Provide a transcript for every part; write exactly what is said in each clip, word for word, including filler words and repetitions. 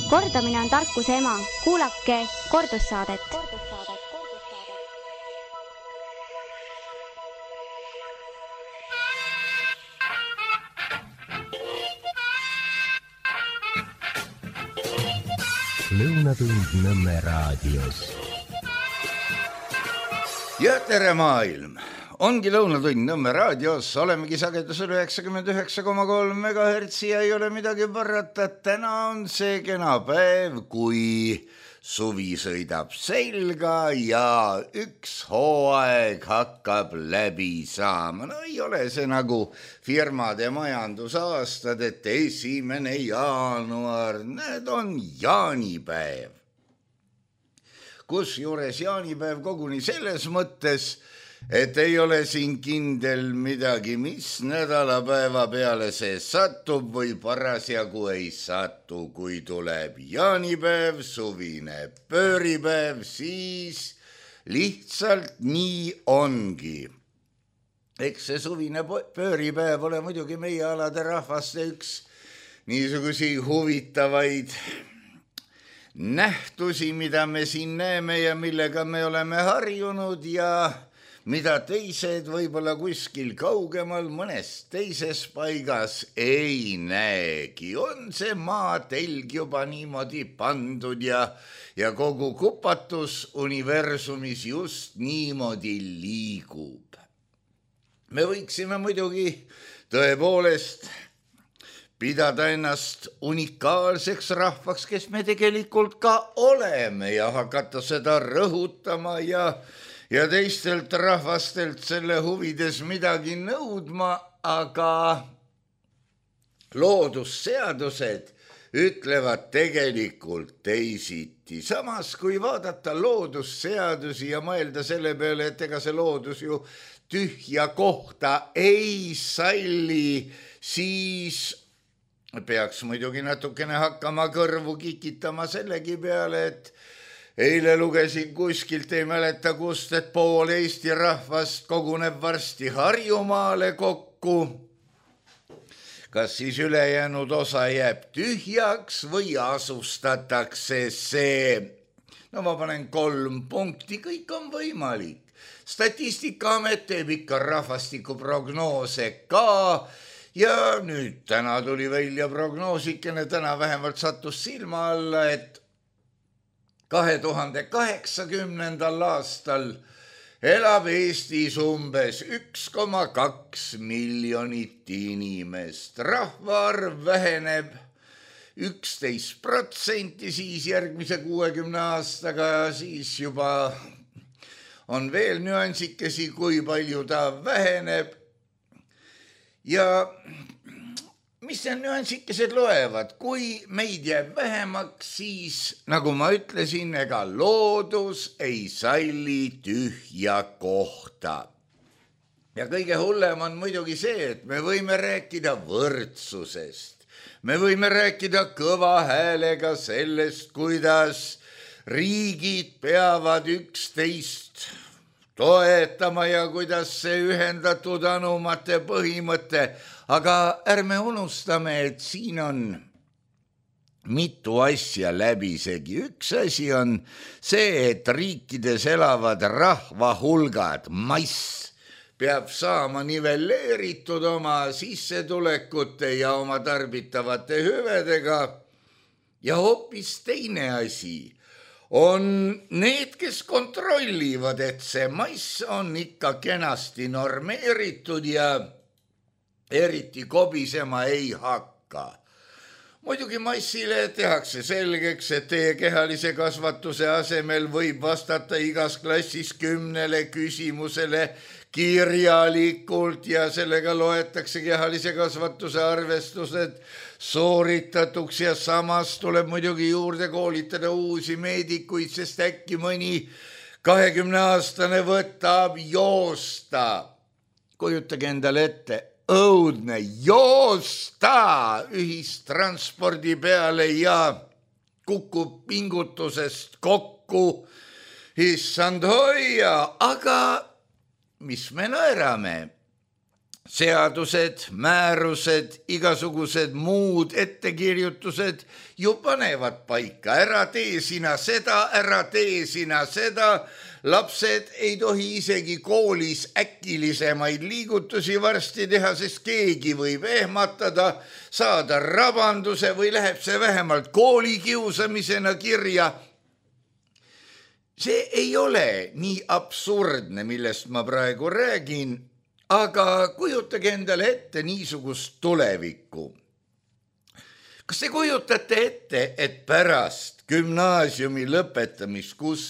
Kordamine on tarkuse ema. Kuulake kordussaadet. Lõunatund Nõmme raadios. Ja tere maailm! Ongi Lõunatund Nõmme raadios, olemegi sagedusel üheksakümmend üheksa koma kolm megahertsi ja ei ole midagi parata. Täna on see kena päev, kui suvi sõidab selga ja üks hooaeg hakkab läbi saama. No ei ole see nagu firmade majandusaastad, et esimene jaanuar, need on jaanipäev. Kusjuures jaanipäev koguni selles mõttes, et ei ole siin kindel midagi, mis nädalapäeva peale see satub või parasjagu ei satu. Kui tuleb jaanipäev, suvine pööripäev, siis lihtsalt nii ongi. Eks see suvine pööripäev ole muidugi meie alade rahvaste üks niisugusi huvitavaid nähtusi, mida me siin näeme ja millega me oleme harjunud ja mida teised võib-olla kuskil kaugemal mõnes teises paigas ei näegi. On see maatelg juba niimoodi pandud ja, ja kogu kupatus universumis just niimoodi liigub. Me võiksime muidugi tõepoolest pidada ennast unikaalseks rahvaks, kes me tegelikult ka oleme ja hakata seda rõhutama ja ja teistelt rahvastelt selle huvides midagi nõudma, aga loodusseadused ütlevad tegelikult teisiti. Samas, kui vaadata loodusseadusi ja mõelda selle peale, et ega see loodus ju tühja kohta ei salli, siis peaks muidugi natukene hakkama kõrvu kikitama sellegi peale, et eile lugesin kuskilt, ei mäleta kust, et pool Eesti rahvast koguneb varsti Harjumaale kokku. Kas siis ülejäänud osa jääb tühjaks või asustatakse see? No ma panen kolm punkti, kõik on võimalik. Statistikaamet teeb ikka rahvastikuprognoose ka ja nüüd täna tuli välja prognoosikene, täna vähemalt sattus silma alla, et kahe tuhande kaheksakümnendal aastal elab Eestis umbes üks koma kaks miljonit inimest. Rahvaarv väheneb üksteist protsenti siis järgmise kuuekümne aastaga, siis juba on veel nüansikesi, kui palju ta väheneb. Ja mis need nüansikesed loevad? Kui meid jääb vähemaks, siis, nagu ma ütlesin, ega loodus ei salli tühja kohta. Ja kõige hullem on muidugi see, et me võime rääkida võrdsusest. Me võime rääkida kõva häälega sellest, kuidas riigid peavad üksteist toetama ja kuidas see ühendatud anumate põhimõte. Aga ärme unustame, et siin on mitu asja läbisegi. Üks asi on see, et riikides elavad rahvahulgad, mass peab saama nivelleeritud oma sissetulekute ja oma tarbitavate hüvedega. Ja hoopis teine asi on need, kes kontrollivad, et see mass on ikka kenasti normeeritud ja eriti kobisema ei hakka. Muidugi massile tehakse selgeks, et teie kehalise kasvatuse asemel võib vastata igas klassis kümnele küsimusele kirjalikult ja sellega loetakse kehalise kasvatuse arvestused sooritatuks ja samas tuleb muidugi juurde koolitada uusi meedikuid, sest äkki mõni kahekümne aastane võtab joosta. Kujutage endale ette, õudne joosta ühistranspordi peale ja kukub pingutusest kokku. Issand hoia, aga mis me naerame? seadused, määrused, igasugused muud ettekirjutused ju panevad paika. Ära tee sina seda, ära tee sina seda. Lapsed ei tohi isegi koolis äkilisemaid liigutusi varsti teha, sest keegi võib ehmatada, saada rabanduse või läheb see vähemalt kooli kiusamisena kirja. See ei ole nii absurdne, millest ma praegu räägin, aga kujutage endale ette niisugust tulevikku. Kas te kujutate ette, et pärast gümnaasiumi lõpetamist, kus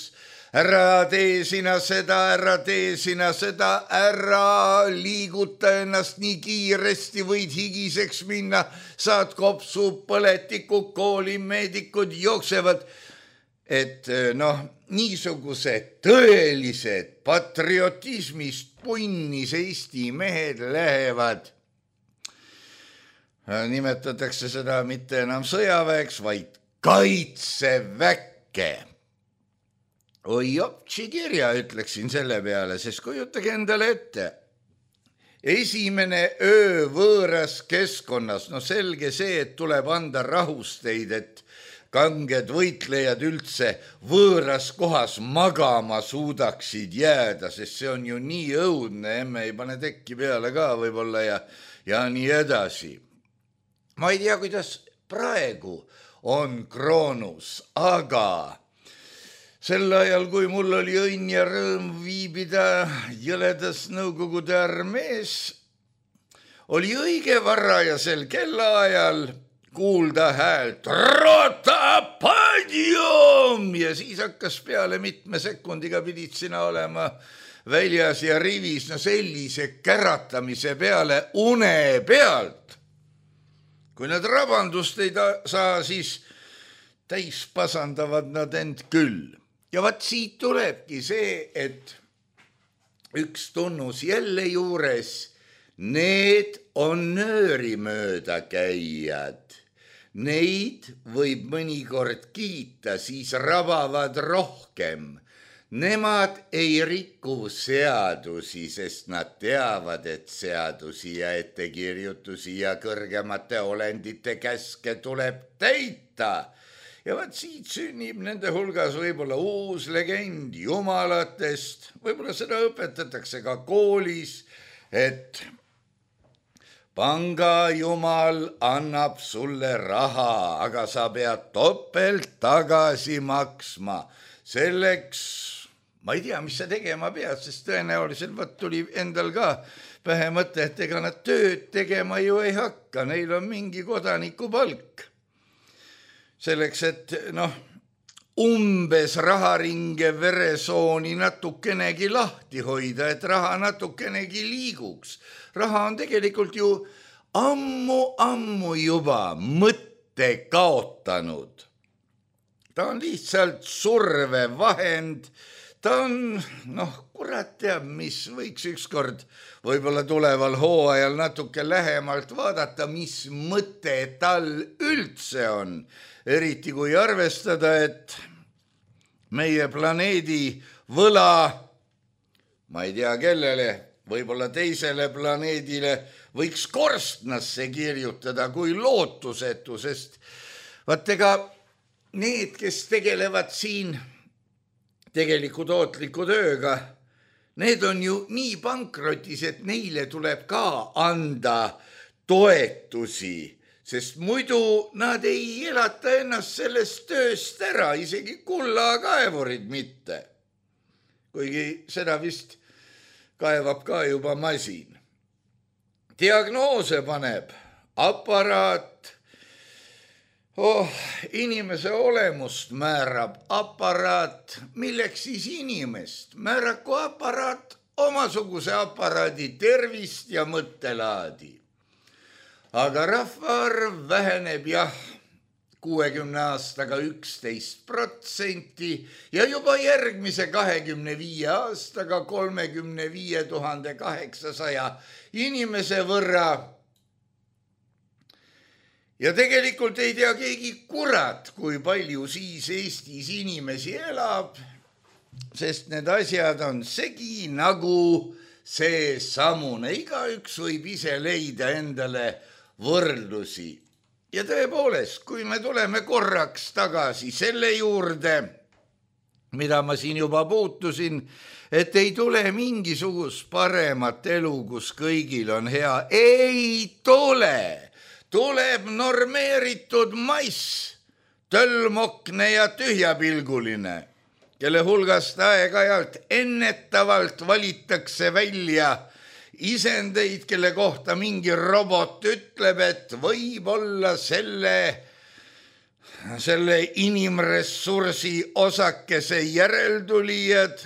ära tee sina seda, ära tee sina seda, ära liiguta ennast nii kiiresti, võid higiseks minna, saad kopsu, põletikud, koolimeedikud jooksevad, et noh, niisugused tõelised patriotismist punnis Eesti mehed lähevad. Nimetatakse seda mitte enam sõjaväeks, vaid kaitseväkke. Oi jopsi kirja, ütleksin selle peale, sest kujutage endale ette. Esimene öö võõras keskkonnas, no selge see, et tuleb anda rahusteid, et kanged võitlejad üldse võõras kohas magama suudaksid jääda, sest see on ju nii õudne, emme ei pane tekki peale ka võib-olla ja, ja nii edasi. Ma ei tea, kuidas praegu on Kroonus, aga sel ajal, kui mul oli õnn ja rõõm viibida jõledas Nõukogude armees, oli õige varajasel kellaajal kuulda häält Rota padjum ja siis hakkas peale mitme sekundiga pidid sina olema väljas ja rivis, no sellise käratamise peale une pealt. Kui nad rabandust ei saa, siis täis pasandavad nad end küll. Ja vaat siit tulebki see, et üks tunnus jälle juures, need on nöörimööda käijad. Neid võib mõnikord kiita, siis rabavad rohkem. Nemad ei riku seadusi, sest nad teavad, et seadusi ja ettekirjutusi ja kõrgemate olendite käske tuleb täita. Ja vaat siit sünnib nende hulgas võib-olla uus legend jumalatest, võib-olla seda õpetatakse ka koolis, et panga jumal annab sulle raha, aga sa pead topelt tagasi maksma. Selleks, ma ei tea, mis sa tegema pead, sest tõenäoliselt vaat tuli endal ka pähe mõte, et ega nad tööd tegema ju ei hakka, neil on mingi kodaniku palk. Selleks, et noh, umbes raharinge veresooni natukenegi lahti hoida, et raha natukenegi liiguks. Raha on tegelikult ju ammu-ammu juba mõtte kaotanud. Ta on lihtsalt survevahend, ta on, noh, kurat teab, mis võiks ükskord võib-olla tuleval hooajal natuke lähemalt vaadata, mis mõte tal üldse on. Eriti kui arvestada, et meie planeedi võla, ma ei tea kellele, võib-olla teisele planeedile võiks korstnasse kirjutada kui lootusetu, sest vaat ega need, kes tegelevad siin tegeliku tootliku tööga, need on ju nii pankrotis, et neile tuleb ka anda toetusi, sest muidu nad ei elata ennast sellest tööst ära, isegi kullakaevurid mitte. Kuigi seda vist kaevab ka juba masin. Diagnoose paneb aparaat, oh, inimese olemust määrab aparaat, milleks siis inimest? Määraku aparaat omasuguse aparaadi tervist ja mõttelaadi. Aga rahvaarv väheneb jah, kuuekümne aastaga üksteist protsenti ja juba järgmise kahekümne viie aastaga kolmekümne viie tuhande kaheksasaja inimese võrra. Ja tegelikult ei tea keegi kurat, kui palju siis Eestis inimesi elab, sest need asjad on segi nagu see samune, igaüks võib ise leida endale võrdlusi. Ja tõepoolest, kui me tuleme korraks tagasi selle juurde, mida ma siin juba puutusin, et ei tule mingisugust paremat elu, kus kõigil on hea. Ei tule, tuleb normeeritud mass, tölmokne ja tühjapilguline, kelle hulgast aeg-ajalt ennetavalt valitakse välja isendeid, kelle kohta mingi robot ütleb, et võib olla selle, selle inimressursi osakese järeltulijad,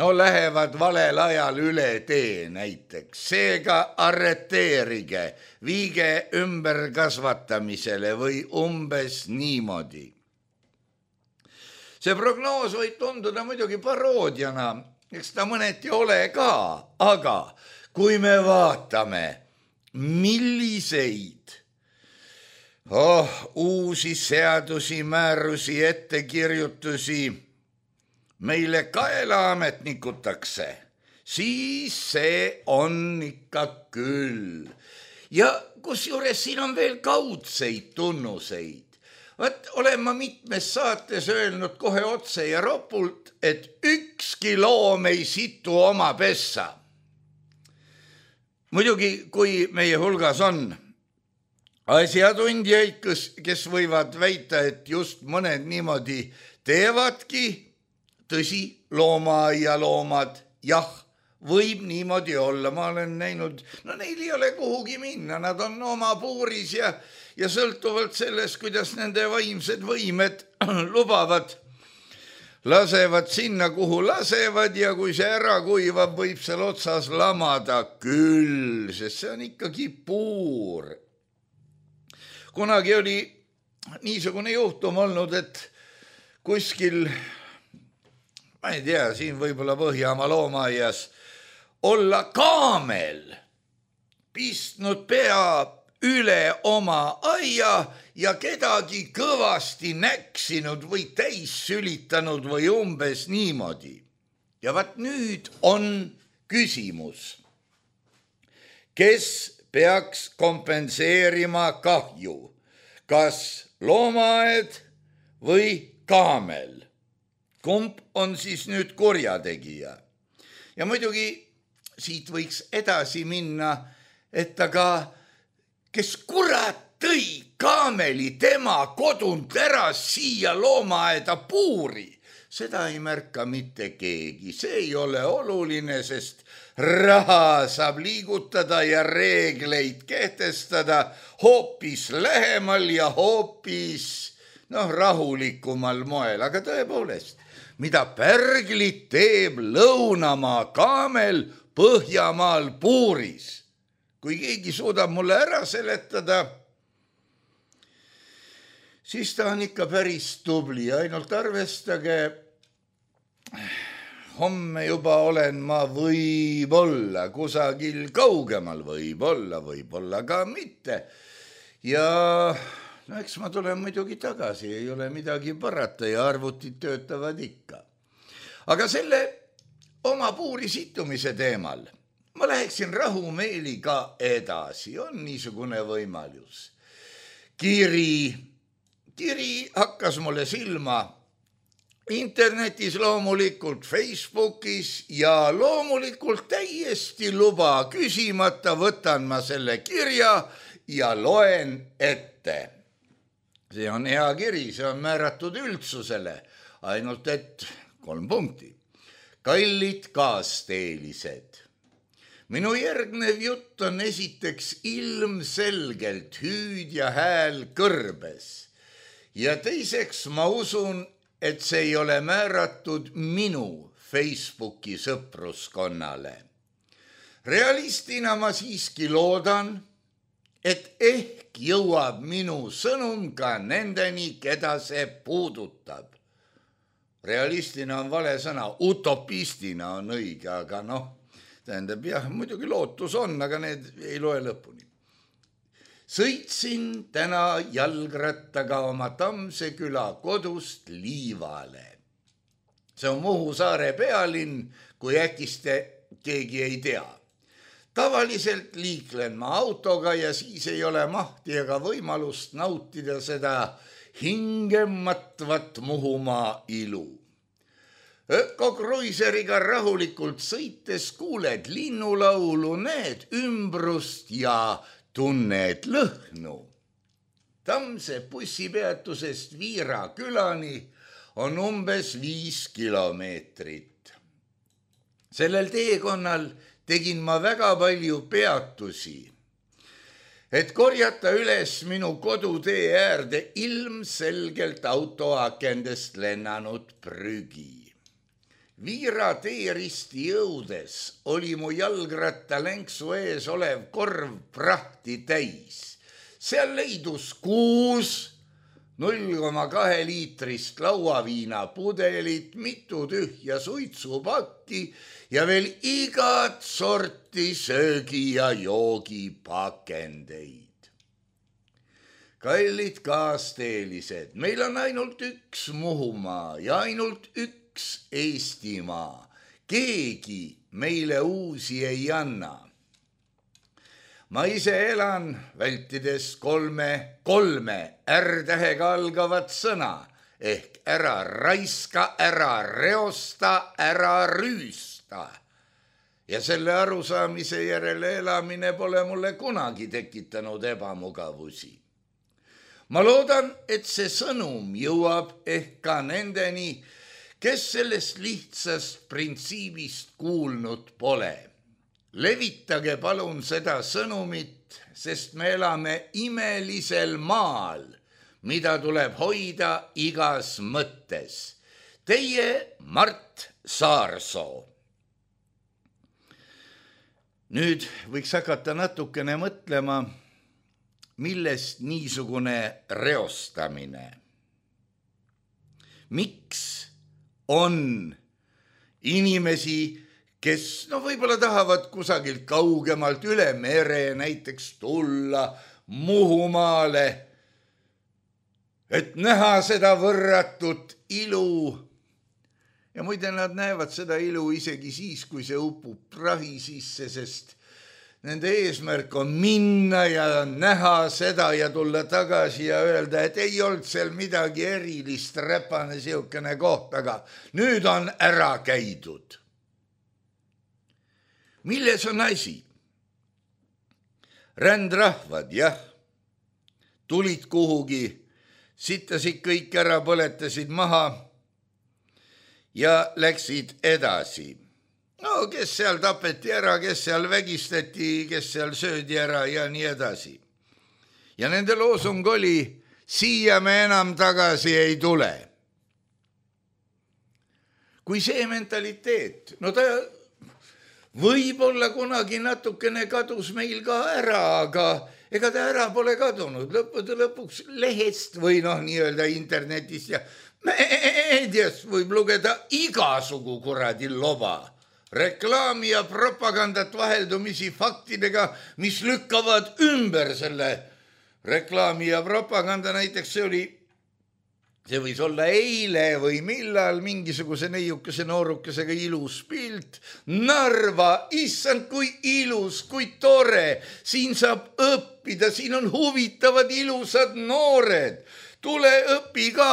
no lähevad valel ajal üle tee näiteks. Seega arreteerige, viige ümberkasvatamisele või umbes niimoodi. See prognoos võib tunduda muidugi paroodiana, eks ta mõneti ole ka, aga kui me vaatame, milliseid oh, uusi seadusi, määrusi, ettekirjutusi meile kaela ametnikutakse, siis see on ikka küll. Ja kusjuures siin on veel kaudseid tunnuseid. Vaat olen ma mitmes saates öelnud kohe otse ja ropult, et ükski loom ei situ oma pessa. Muidugi, kui meie hulgas on asjatundjaid, kes, kes võivad väita, et just mõned niimoodi teevadki, tõsi, loomaaia loomad, jah, võib niimoodi olla. Ma olen näinud, no neil ei ole kuhugi minna, nad on oma puuris ja, ja sõltuvalt sellest, kuidas nende vaimsed võimed lubavad, lasevad sinna, kuhu lasevad ja kui see ära kuivab, võib seal otsas lamada küll, sest see on ikkagi puur. Kunagi oli niisugune juhtum olnud, et kuskil, ma ei tea, siin võib-olla Põhjamaa loomaaias, olla kaamel pistnud pea üle oma aia ja kedagi kõvasti näksinud või täis sülitanud või umbes niimoodi. Ja vaat nüüd on küsimus, kes peaks kompenseerima kahju, kas loomaaed või kaamel? Kumb on siis nüüd kurjategija? Ja muidugi siit võiks edasi minna, et aga kes kurat tõi kaameli tema kodunt ära siia loomaaeda puuri, seda ei märka mitte keegi. See ei ole oluline, sest raha saab liigutada ja reegleid kehtestada hoopis lähemal ja hoopis noh, rahulikumal moel. Aga tõepoolest, mida pärglit teeb Lõunamaa kaamel Põhjamaal puuris? Kui keegi suudab mulle ära seletada, siis ta on ikka päris tubli. Ainult arvestage, homme juba olen ma võib-olla kusagil kaugemal, võib-olla, võib-olla ka mitte. Ja no eks ma tulen muidugi tagasi, ei ole midagi parata ja arvutid töötavad ikka. Aga selle oma puuri situmise teemal ma läheksin rahumeeliga edasi, on niisugune võimalus. Kiri, kiri hakkas mulle silma internetis loomulikult, Facebookis ja loomulikult täiesti luba küsimata võtan ma selle kirja ja loen ette. See on hea kiri, see on määratud üldsusele, ainult et kolm punkti. Kallid kaasteelised. Minu järgnev jutt on esiteks ilmselgelt hüüd ja hääl kõrbes. Ja teiseks ma usun, et see ei ole määratud minu Facebooki sõpruskonnale. Realistina ma siiski loodan, et ehk jõuab minu sõnum ka nendeni, keda see puudutab. Realistina on vale sõna, utopistina on õige, aga noh, tähendab jah, muidugi lootus on, aga need ei loe lõpuni. Sõitsin täna jalgrattaga oma Tammse küla kodust Liivale. See on Muhu saare pealinn, kui äkiste keegi ei tea. Tavaliselt liiklen ma autoga ja siis ei ole mahti ega võimalust nautida seda hingematvat Muhumaa ilu. Öko-kruiseriga rahulikult sõites kuuled linnulaulu, näed ümbrust ja tunned lõhnu. Tammse bussipeatusest Viira külani on umbes viis kilomeetrit. Sellel teekonnal tegin ma väga palju peatusi, et korjata üles minu kodutee äärde ilmselgelt autoakendest lennanud prügi. Viira teeristi jõudes oli mu jalgratta lenksu ees olev korv prahti täis. Seal leidus kuus null koma kaks liitrist lauaviina pudelit, mitu tühja suitsupakki ja veel igat sorti söögi ja joogi pakendeid. Kallid kaasteelised, meil on ainult üks Muhumaa ja ainult üks Eestimaa. Keegi meile uusi ei anna. Ma ise elan vältides kolme, kolme R-tähega algavat sõna ehk ära raiska, ära reosta, ära rüüsta. Ja selle arusaamise järele elamine pole mulle kunagi tekitanud ebamugavusi. Ma loodan, et see sõnum jõuab ehk ka nendeni, kes sellest lihtsast printsiibist kuulnud pole. Levitage palun seda sõnumit, sest me elame imelisel maal, mida tuleb hoida igas mõttes. Teie Mart Saarsoo. Nüüd võiks hakata natukene mõtlema, millest niisugune reostamine. Miks on inimesi, kes no võib-olla tahavad kusagilt kaugemalt üle mere näiteks tulla Muhumaale, et näha seda võrratut ilu. Ja muide nad näevad seda ilu isegi siis, kui see upub prahi sisse, sest nende eesmärk on minna ja näha seda ja tulla tagasi ja öelda, et ei olnud seal midagi erilist, räpane siukene koht, aga nüüd on ära käidud. Milles on asi? Rändrahvad, jah, tulid kuhugi, sittasid kõik ära, põletasid maha ja läksid edasi. No kes seal tapeti ära, kes seal vägistati, kes seal söödi ära ja nii edasi. Ja nende loosung oli, siia me enam tagasi ei tule. Kui see mentaliteet, no ta võib-olla kunagi natukene kadus meil ka ära, aga ega ta ära pole kadunud. Lõppude lõpuks lehest või noh, nii-öelda internetist ja meediast võib lugeda igasugu kuradi loba. Reklaami ja propagandat vaheldumisi faktidega, mis lükkavad ümber selle reklaami ja propaganda. Näiteks see oli, see võis olla eile või millal mingisuguse neiukese noorukesega ilus pilt. Narva, issand, kui ilus, kui tore. Siin saab õppida, siin on huvitavad ilusad noored. Tule õpi ka.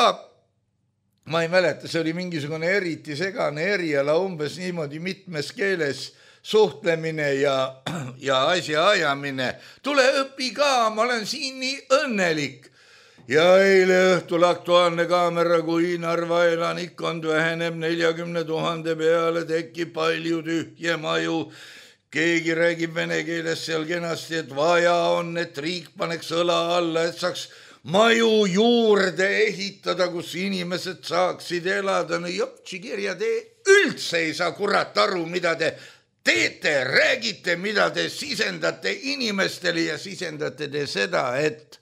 Ma ei mäleta, see oli mingisugune eriti segane eriala, umbes niimoodi mitmes keeles suhtlemine ja, ja asja ajamine. Tule õpi ka, ma olen siin nii õnnelik. Ja eile õhtul Aktuaalne kaamera, kui Narva elanikkond väheneb neljakümne tuhande peale, tekib palju tühje maju. Keegi räägib vene keeles seal kenasti, et vaja on, et riik paneks õla alla, et saaks maju juurde ehitada, kus inimesed saaksid elada. No jopsi kirja, te üldse ei saa kurat aru, mida te teete, räägite, mida te sisendate inimestele ja sisendate te seda, et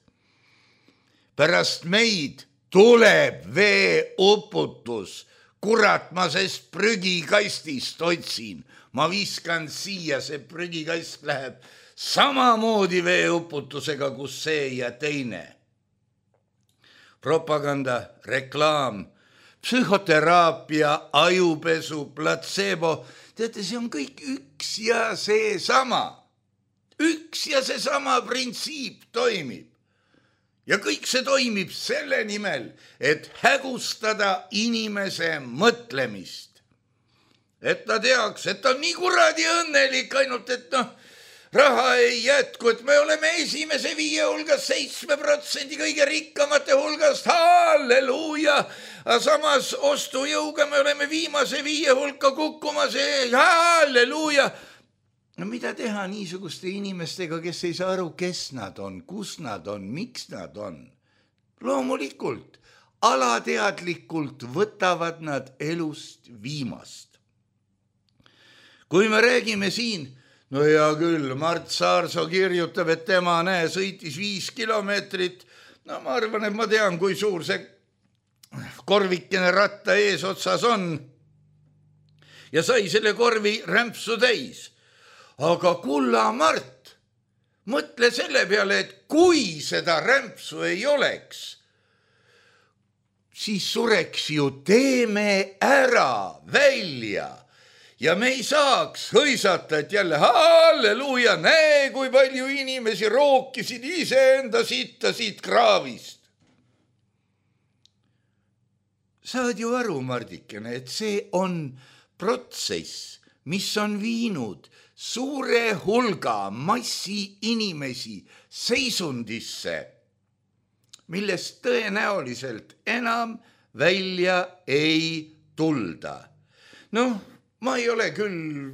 pärast meid tuleb veeuputus. Kurat, ma sest prügikastist otsin. Ma viskan siia, see prügikast läheb samamoodi veeuputusega, kus see ja teine. Propaganda, reklaam, psühhoteraapia, ajupesu, platseebo. Teate, see on kõik üks ja see sama. Üks ja see sama printsiip toimib. Ja kõik see toimib selle nimel, et hägustada inimese mõtlemist. Et ta teaks, et ta on nii kuradi õnnelik, ainult et noh, raha ei jätku, et me oleme esimese viie hulgas seitsme protsendi kõige rikkamate hulgast, halleluuja. Samas ostujõuga me oleme viimase viie hulka kukkumas, halleluuja. No mida teha niisuguste inimestega, kes ei saa aru, kes nad on, kus nad on, miks nad on? Loomulikult, alateadlikult võtavad nad elust viimast. Kui me räägime siin, no hea küll, Mart Saarsoo kirjutab, et tema näe, sõitis viis kilomeetrit. No ma arvan, et ma tean, kui suur see korvikene ratta eesotsas on. Ja sai selle korvi rämpsu täis. Aga kulla Mart, mõtle selle peale, et kui seda rämpsu ei oleks, siis sureks ju teeme ära välja. Ja me ei saaks hõisata, et jälle halleluuja, näe, kui palju inimesi rookisid iseenda sitta siit kraavist. Saad ju aru, Mardikene, et see on protsess, mis on viinud suure hulga massi inimesi seisundisse, millest tõenäoliselt enam välja ei tulda. Noh, ma ei ole küll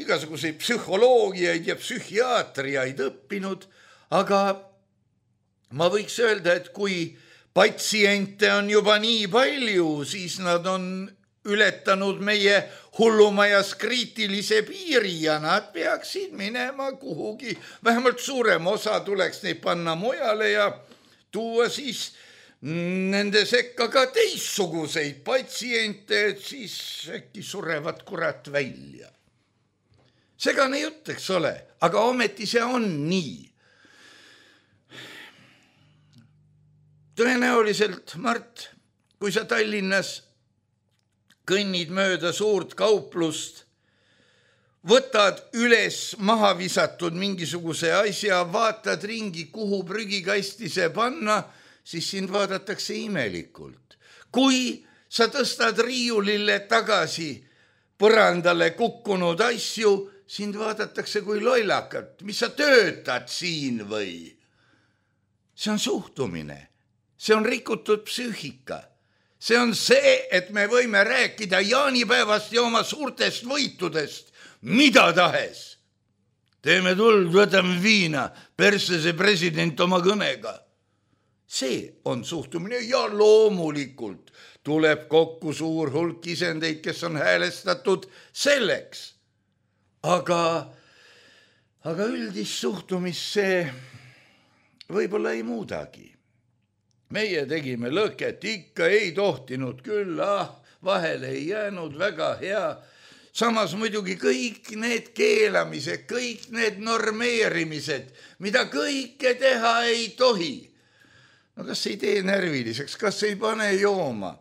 igasuguseid psühholoogiaid ja psühhiaatriaid õppinud, aga ma võiks öelda, et kui patsiente on juba nii palju, siis nad on ületanud meie hullumajas kriitilise piiri ja nad peaksid minema kuhugi. Vähemalt suurem osa tuleks neid panna mujale ja tuua siis nende sekka ka teistsuguseid patsiente, et siis äkki surevad kurat välja. Segane jutt, eks ole, aga ometi see on nii. Tõenäoliselt, Mart, kui sa Tallinnas kõnnid mööda suurt kauplust, võtad üles maha visatud mingisuguse asja, vaatad ringi, kuhu prügikasti see panna, siis sind vaadatakse imelikult. Kui sa tõstad riiulile tagasi põrandale kukkunud asju, sind vaadatakse kui lollakat. Mis sa töötad siin või? See on suhtumine. See on rikutud psüühika. See on see, et me võime rääkida jaanipäevast ja oma suurtest võitudest, mida tahes. Teeme tuld, võtame viina, persse see president oma kõnega. See on suhtumine ja loomulikult tuleb kokku suur hulk isendeid, kes on häälestatud selleks. Aga, aga üldist suhtumist see võib-olla ei muudagi. Meie tegime lõket, ikka ei tohtinud küll, ah, vahele ei jäänud, väga hea. Samas muidugi kõik need keelamised, kõik need normeerimised, mida kõike teha ei tohi. No kas ei tee närviliseks, kas ei pane jooma?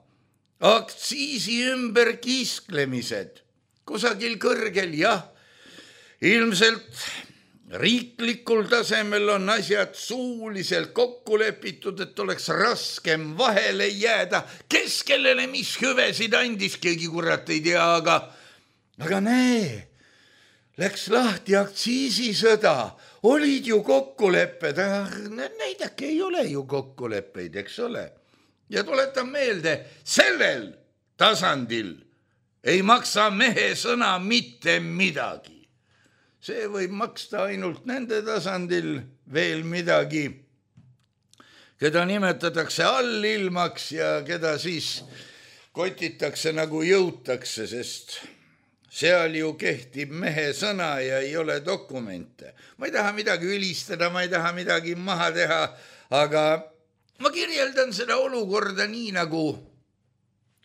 Aktsiisi ümber kisklemised, kusagil kõrgel, jah, ilmselt riiklikul tasemel on asjad suuliselt kokku lepitud, et oleks raskem vahele jääda. Kes kellele mis hüvesid andis, keegi kurat ei tea, aga, aga näe, läks lahti aktsiisisõda, olid ju kokkulepped, näidake, ei ole ju kokkuleppeid, eks ole. Ja tuletan meelde, sellel tasandil ei maksa mehe sõna mitte midagi. See võib maksta ainult nende tasandil veel midagi, keda nimetatakse allilmaks ja keda siis kotitakse nagu jõutakse, sest seal ju kehtib mehe sõna ja ei ole dokumente. Ma ei taha midagi ülistada, ma ei taha midagi maha teha, aga ma kirjeldan seda olukorda nii nagu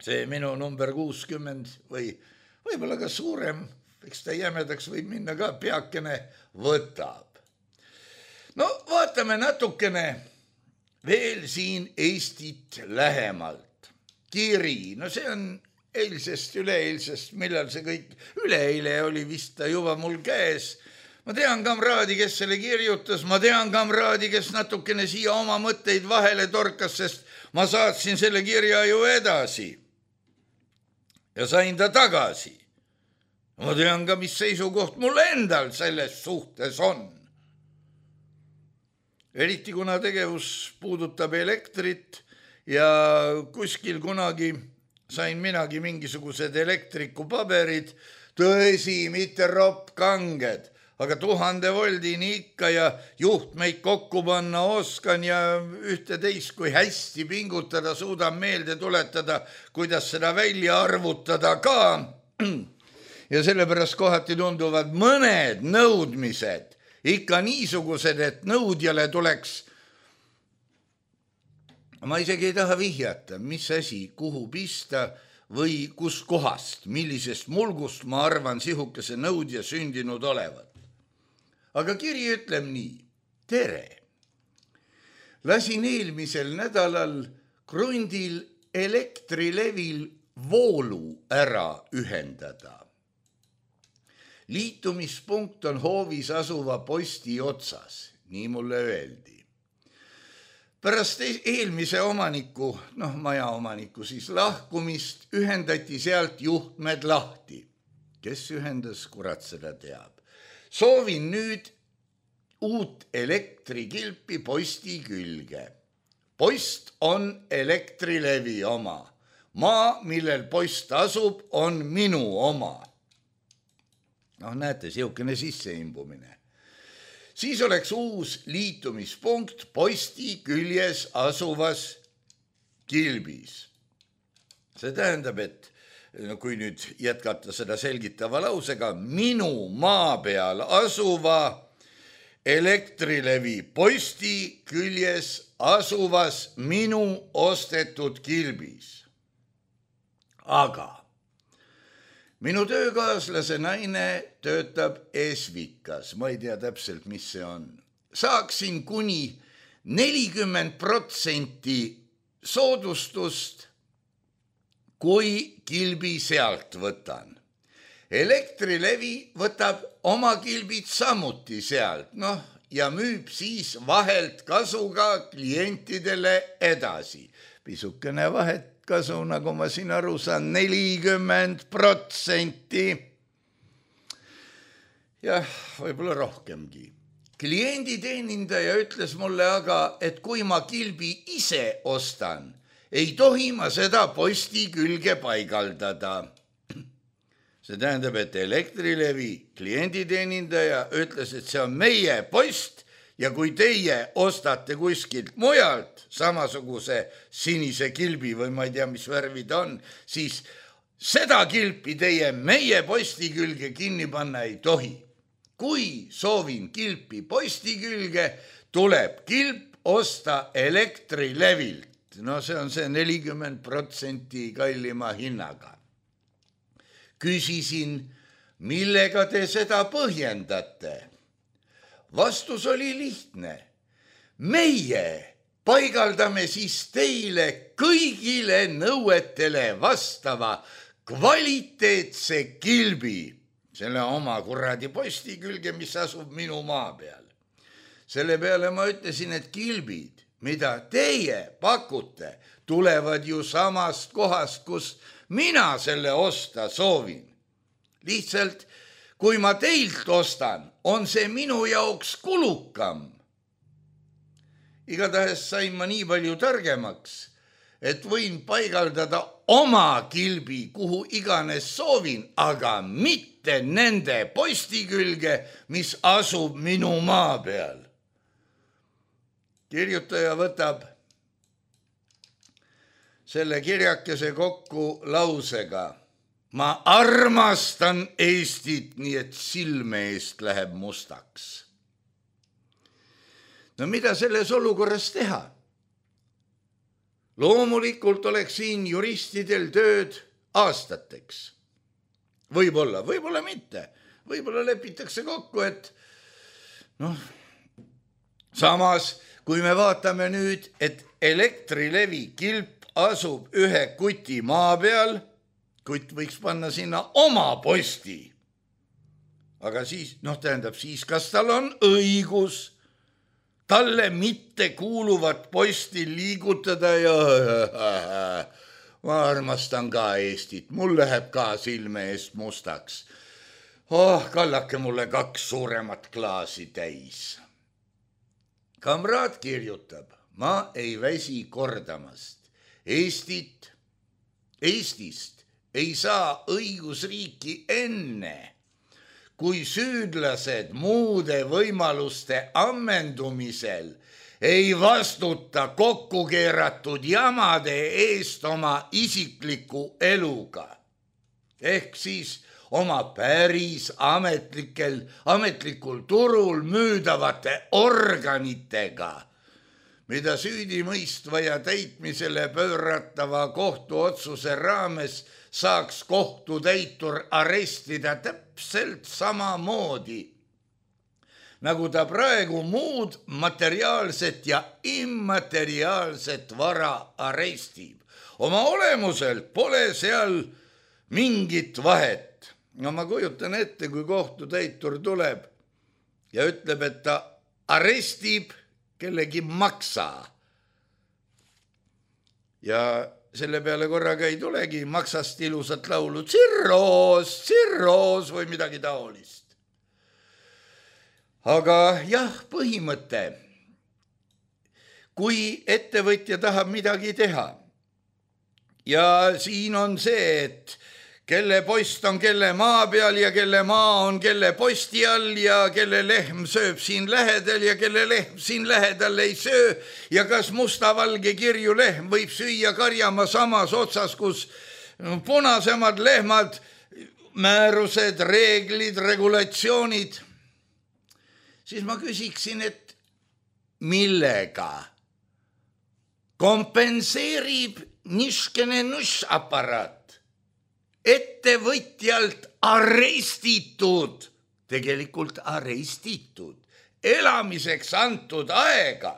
see minu number kuuskümmend või võib-olla ka suurem, eks ta jämedaks võib minna ka, peakene võtab. No vaatame natukene veel siin Eestit lähemalt. kiri, no see on eilsest, üleeilsest, millal see kõik, üleeile oli vist ta juba mul käes. Ma tean kamraadi, kes selle kirjutas, ma tean kamraadi, kes natukene siia oma mõtteid vahele torkas, sest ma saatsin selle kirja ju edasi ja sain ta tagasi. Ma tean ka, mis seisukoht mul endal selles suhtes on. Eriti kuna tegevus puudutab elektrit ja kuskil kunagi sain minagi mingisugused elektrikupaberid, tõesi, mitte roppkanged, aga tuhande voldini ikka ja juhtmeid kokku panna oskan ja ühte teist, kui hästi pingutada, suudan meelde tuletada, kuidas seda välja arvutada ka. Ja sellepärast kohati tunduvad mõned nõudmised ikka niisugused, et nõudjale tuleks, ma isegi ei taha vihjata, mis asi, kuhu pista või kus kohast, millisest mulgust ma arvan sihukese nõudja sündinud olevat. Aga kiri ütleb nii, tere. Lasin eelmisel nädalal Krundil Elektrilevil voolu ära ühendada. Liitumispunkt on hoovis asuva posti otsas, nii mulle öeldi. Pärast eelmise omaniku, noh maja omaniku siis lahkumist, ühendati sealt juhtmed lahti. Kes ühendas, kurat seda teab. Soovin nüüd uut elektrikilpi posti külge. Post on Elektrilevi oma. Maa, millel post asub, on minu oma. Noh, näete, siukene sisseimbumine. Siis oleks uus liitumispunkt posti küljes asuvas kilbis. See tähendab, et kui nüüd jätkata seda selgitava lausega, minu maa peal asuva Elektrilevi posti küljes asuvas minu ostetud kilbis. Aga minu töökaaslase naine töötab Esvikas, ma ei tea täpselt, mis see on. Saaksin kuni nelikümmend protsenti soodustust, kui kilbi sealt võtan. Elektrilevi võtab oma kilbid samuti sealt, noh, ja müüb siis vahelt kasuga klientidele edasi. Pisukene vahet kasu, nagu ma siin aru saan, nelikümmend protsenti. Jah, võib-olla rohkemgi. Klienditeenindaja ütles mulle aga, et kui ma kilbi ise ostan, ei tohi ma seda posti külge paigaldada. See tähendab, et Elektrilevi klienditeenindaja ütles, et see on meie post ja kui teie ostate kuskilt mujalt samasuguse sinise kilbi või ma ei tea, mis värvi ta on, siis seda kilpi teie meie posti külge kinni panna ei tohi. Kui soovin kilpi posti külge, tuleb kilp osta Elektrilevilt. No see on see nelikümmend protsenti kallima hinnaga. Küsisin, millega te seda põhjendate? Vastus oli lihtne. Meie paigaldame siis teile kõigile nõuetele vastava kvaliteetse kilbi, selle oma kuradi posti külge, mis asub minu maa peal. Selle peale ma ütlesin, et kilbid, mida teie pakute, tulevad ju samast kohast, kus mina selle osta soovin. Lihtsalt, kui ma teilt ostan, on see minu jaoks kulukam. Igatahes sain ma nii palju targemaks, et võin paigaldada oma kilbi, kuhu iganes soovin, aga mitte nende posti külge, mis asub minu maa peal. Kirjutaja võtab selle kirjakese kokku lausega. Ma armastan Eestit, nii et silme eest läheb mustaks. No mida selles olukorras teha? Loomulikult oleks siin juristidel tööd aastateks. Võib-olla, võib-olla mitte. Võib-olla lepitakse kokku, et noh, samas, kui me vaatame nüüd, et Elektrilevi kilp asub ühe kuti maa peal, kutt võiks panna sinna oma posti. Aga siis, noh tähendab siis, kas tal on õigus talle mitte kuuluvat posti liigutada ja ma armastan ka Eestit, mul läheb ka silme eest mustaks. Oh, kallake mulle kaks suuremat klaasi täis. Kamraad kirjutab, ma ei väsi kordamast. Eestit, Eestist ei saa õigusriiki enne, kui süüdlased muude võimaluste ammendumisel ei vastuta kokku keeratud jamade eest oma isikliku eluga. Ehk siis oma päris ametlikel, ametlikul turul müüdavate organitega, mida süüdimõistva ja täitmisele pööratava kohtuotsuse raames saaks kohtutäitur arestida täpselt samamoodi, nagu ta praegu muud materiaalset ja immateriaalset vara arestib. Oma olemuselt pole seal mingit vahet. No ma kujutan ette, kui kohtutäitur tuleb ja ütleb, et ta arestib kellegi maksa. Ja selle peale korraga ei tulegi maksast ilusat laulu tsirroos, tsirroos või midagi taolist. Aga jah, põhimõte, kui ettevõtja tahab midagi teha ja siin on see, et kelle post on kelle maa peal ja kelle maa on kelle posti all ja kelle lehm sööb siin lähedal ja kelle lehm siin lähedal ei söö ja kas mustavalge kirju lehm võib süüa karjama samas otsas, kus punasemad lehmad, määrused, reeglid, regulatsioonid, siis ma küsiksin, et millega kompenseerib niškene nušaparaat ettevõtjalt arestitud, tegelikult arestitud, elamiseks antud aega.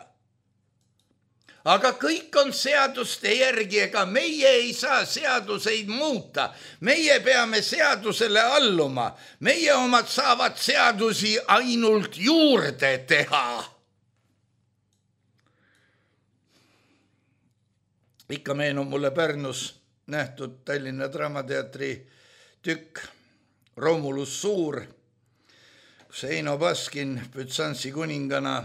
Aga kõik on seaduste järgi, ega meie ei saa seaduseid muuta. Meie peame seadusele alluma. Meie omad saavad seadusi ainult juurde teha. Ikka meenub mulle Pärnus nähtud Tallinna Draamateatri tükk Romulus Suur, kus Eino Baskin Bütsansi kuningana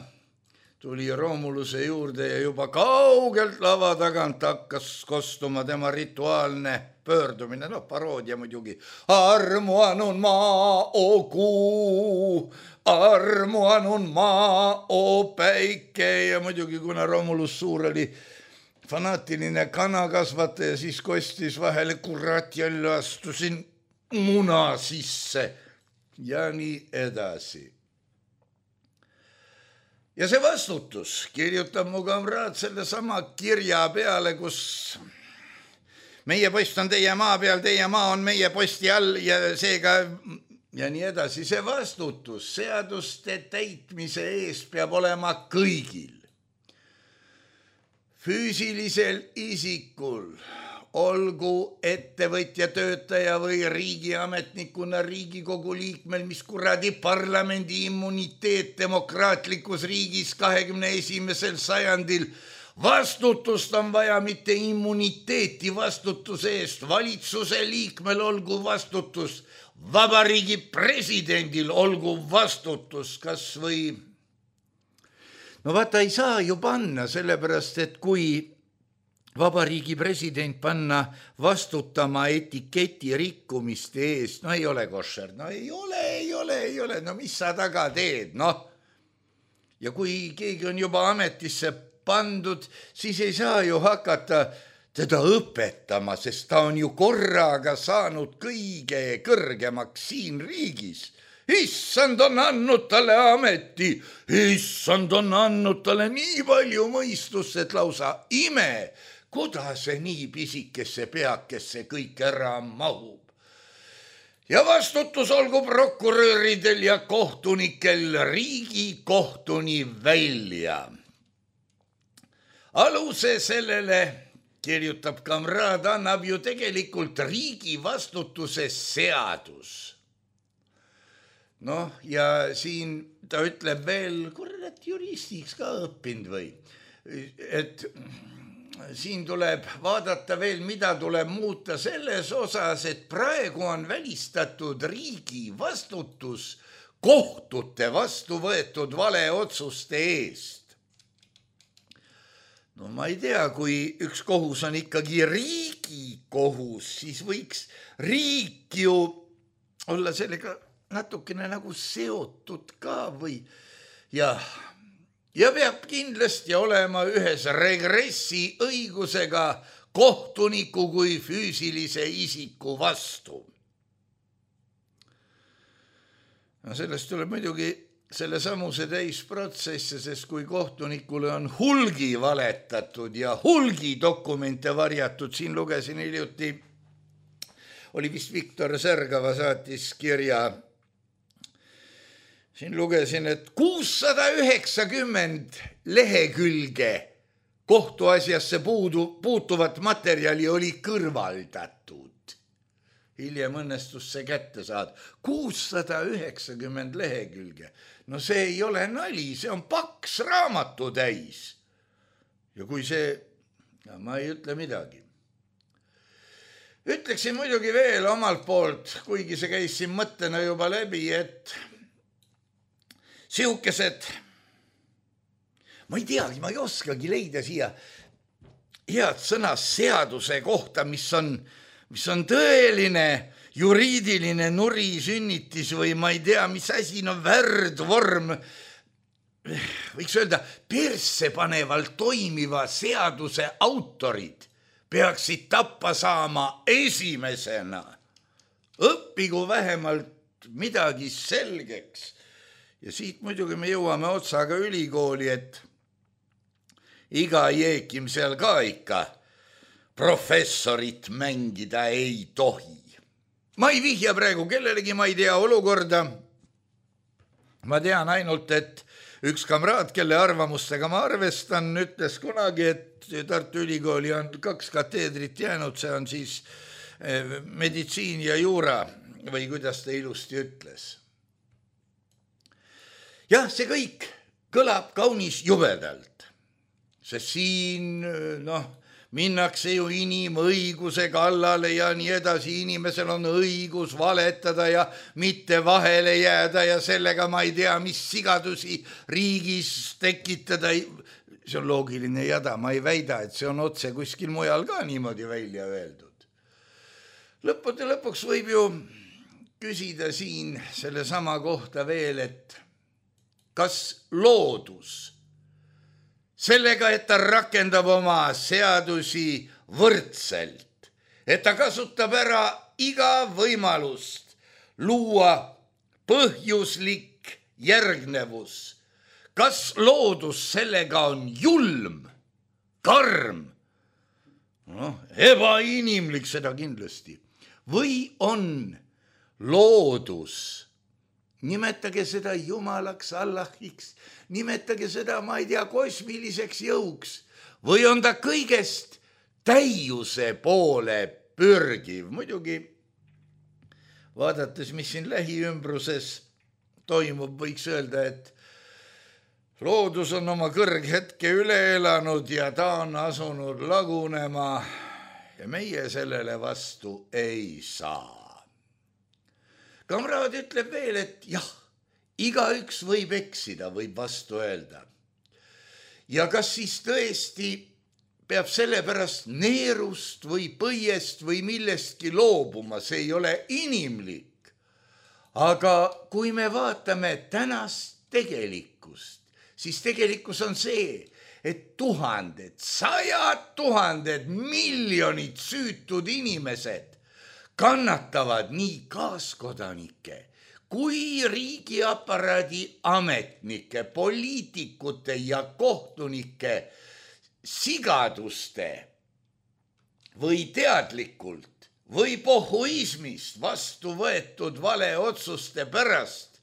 tuli Romuluse juurde ja juba kaugelt lava tagant hakkas kostuma tema rituaalne pöördumine, noh paroodia muidugi. Armuanun maa, o kuu, armuanun maa, o päike ja muidugi kuna Romulus Suur oli fanaatiline kanakasvataja, siis kostis vahele, kurat, jälle astusin muna sisse ja nii edasi. Ja see vastutus kirjutab mu kamraad selle sama kirja peale, kus meie post on teie maa peal, teie maa on meie posti all ja seega ja nii edasi. See vastutus seaduste täitmise eest peab olema kõigil. Füüsilisel isikul, olgu ettevõtja, töötaja või riigiametnikuna Riigikogu liikmel, mis kuradi parlamendi immuniteet demokraatlikus riigis kahekümne esimesel sajandil. Vastutust on vaja, mitte immuniteeti vastutuse eest. Valitsuse liikmel olgu vastutus, vabariigi presidendil olgu vastutus, kas või... No vaata, ei saa ju panna, sellepärast, et kui vabariigi president panna vastutama etiketi rikkumiste eest, no ei ole košer, no ei ole, ei ole, ei ole, no mis sa taga teed, noh. Ja kui keegi on juba ametisse pandud, siis ei saa ju hakata teda õpetama, sest ta on ju korraga saanud kõige kõrgemaks siin riigis. Issand on andnud talle ameti, issand on andnud talle nii palju mõistust, et lausa ime, kuidas see nii pisikesse peakesse kõik ära mahub. Ja vastutus olgu prokuröridel ja kohtunikel Riigikohtuni välja. Aluse sellele kirjutab kamraad, annab ju tegelikult riigi vastutuse seadus. Noh, ja siin ta ütleb veel, kurat juristiks ka õppinud või, et siin tuleb vaadata veel, mida tuleb muuta selles osas, et praegu on välistatud riigi vastutus kohtute vastu võetud valeotsuste eest. No ma ei tea, kui üks kohus on ikkagi riigi kohus, siis võiks riik ju olla sellega natukene nagu seotud ka või ja, ja peab kindlasti olema ühes regressi õigusega kohtuniku kui füüsilise isiku vastu. No sellest tuleb muidugi selle samuse täisprotsesse, sest kui kohtunikule on hulgi valetatud ja hulgi dokumente varjatud, siin lugesin hiljuti, oli vist Viktor Särgava saatis kirja, siin lugesin, et kuussada üheksakümmend lehekülge kohtuasjasse puudu, puutuvat materjali oli kõrvaldatud. Hiljem õnnestus see kätte saada. kuussada üheksakümmend lehekülge. No see ei ole nali, see on paks raamatu täis. Ja kui see, ja ma ei ütle midagi. Ütleksin muidugi veel omalt poolt, kuigi see käis siin mõttena juba läbi, et siukesed, ma ei teagi, ma ei oskagi leida siia head sõna seaduse kohta, mis on, mis on tõeline juriidiline nurisünnitis või ma ei tea, mis asi on värdvorm, võiks öelda, persse panevalt toimiva seaduse autorid peaksid tappa saama esimesena. Õppigu vähemalt midagi selgeks. Ja siit muidugi me jõuame otsaga ülikooli, et iga jeekim seal ka ikka professorit mängida ei tohi. Ma ei vihja praegu kellelegi, ma ei tea olukorda. Ma tean ainult, et üks kamraad, kelle arvamustega ma arvestan, ütles kunagi, et Tartu Ülikooli on kaks kateedrit jäänud, see on siis meditsiin ja juura või kuidas ta ilusti ütles. Jah, see kõik kõlab kaunis jubedalt, sest siin noh, minnakse ju inimõiguse kallale ja nii edasi, inimesel on õigus valetada ja mitte vahele jääda ja sellega ma ei tea, mis sigadusi riigis tekitada. See on loogiline jada, ma ei väida, et see on otse kuskil mujal ka niimoodi välja öeldud. Lõppude lõpuks võib ju küsida siin selle sama kohta veel, et kas loodus sellega, et ta rakendab oma seadusi võrdselt, et ta kasutab ära iga võimalust luua põhjuslik järgnevus, kas loodus sellega on julm, karm, noh, ebainimlik seda kindlasti, või on loodus, nimetage seda jumalaks, Allahiks, nimetage seda, ma ei tea, kosmiliseks jõuks või on ta kõigest täiuse poole pürgiv. Muidugi vaadates, mis siin lähiümbruses toimub, võiks öelda, et loodus on oma kõrghetke üle elanud ja ta on asunud lagunema ja meie sellele vastu ei saa. Kamraad ütleb veel, et jah, igaüks võib eksida, võib vastu öelda. Ja kas siis tõesti peab sellepärast neerust või põiest või millestki loobuma, see ei ole inimlik. Aga kui me vaatame tänast tegelikkust, siis tegelikkus on see, et tuhanded, sajad tuhanded, miljonid süütud inimesed kannatavad nii kaaskodanike kui riigiaparaadi ametnike, poliitikute ja kohtunike sigaduste või teadlikult või pohhuismist vastu võetud valeotsuste pärast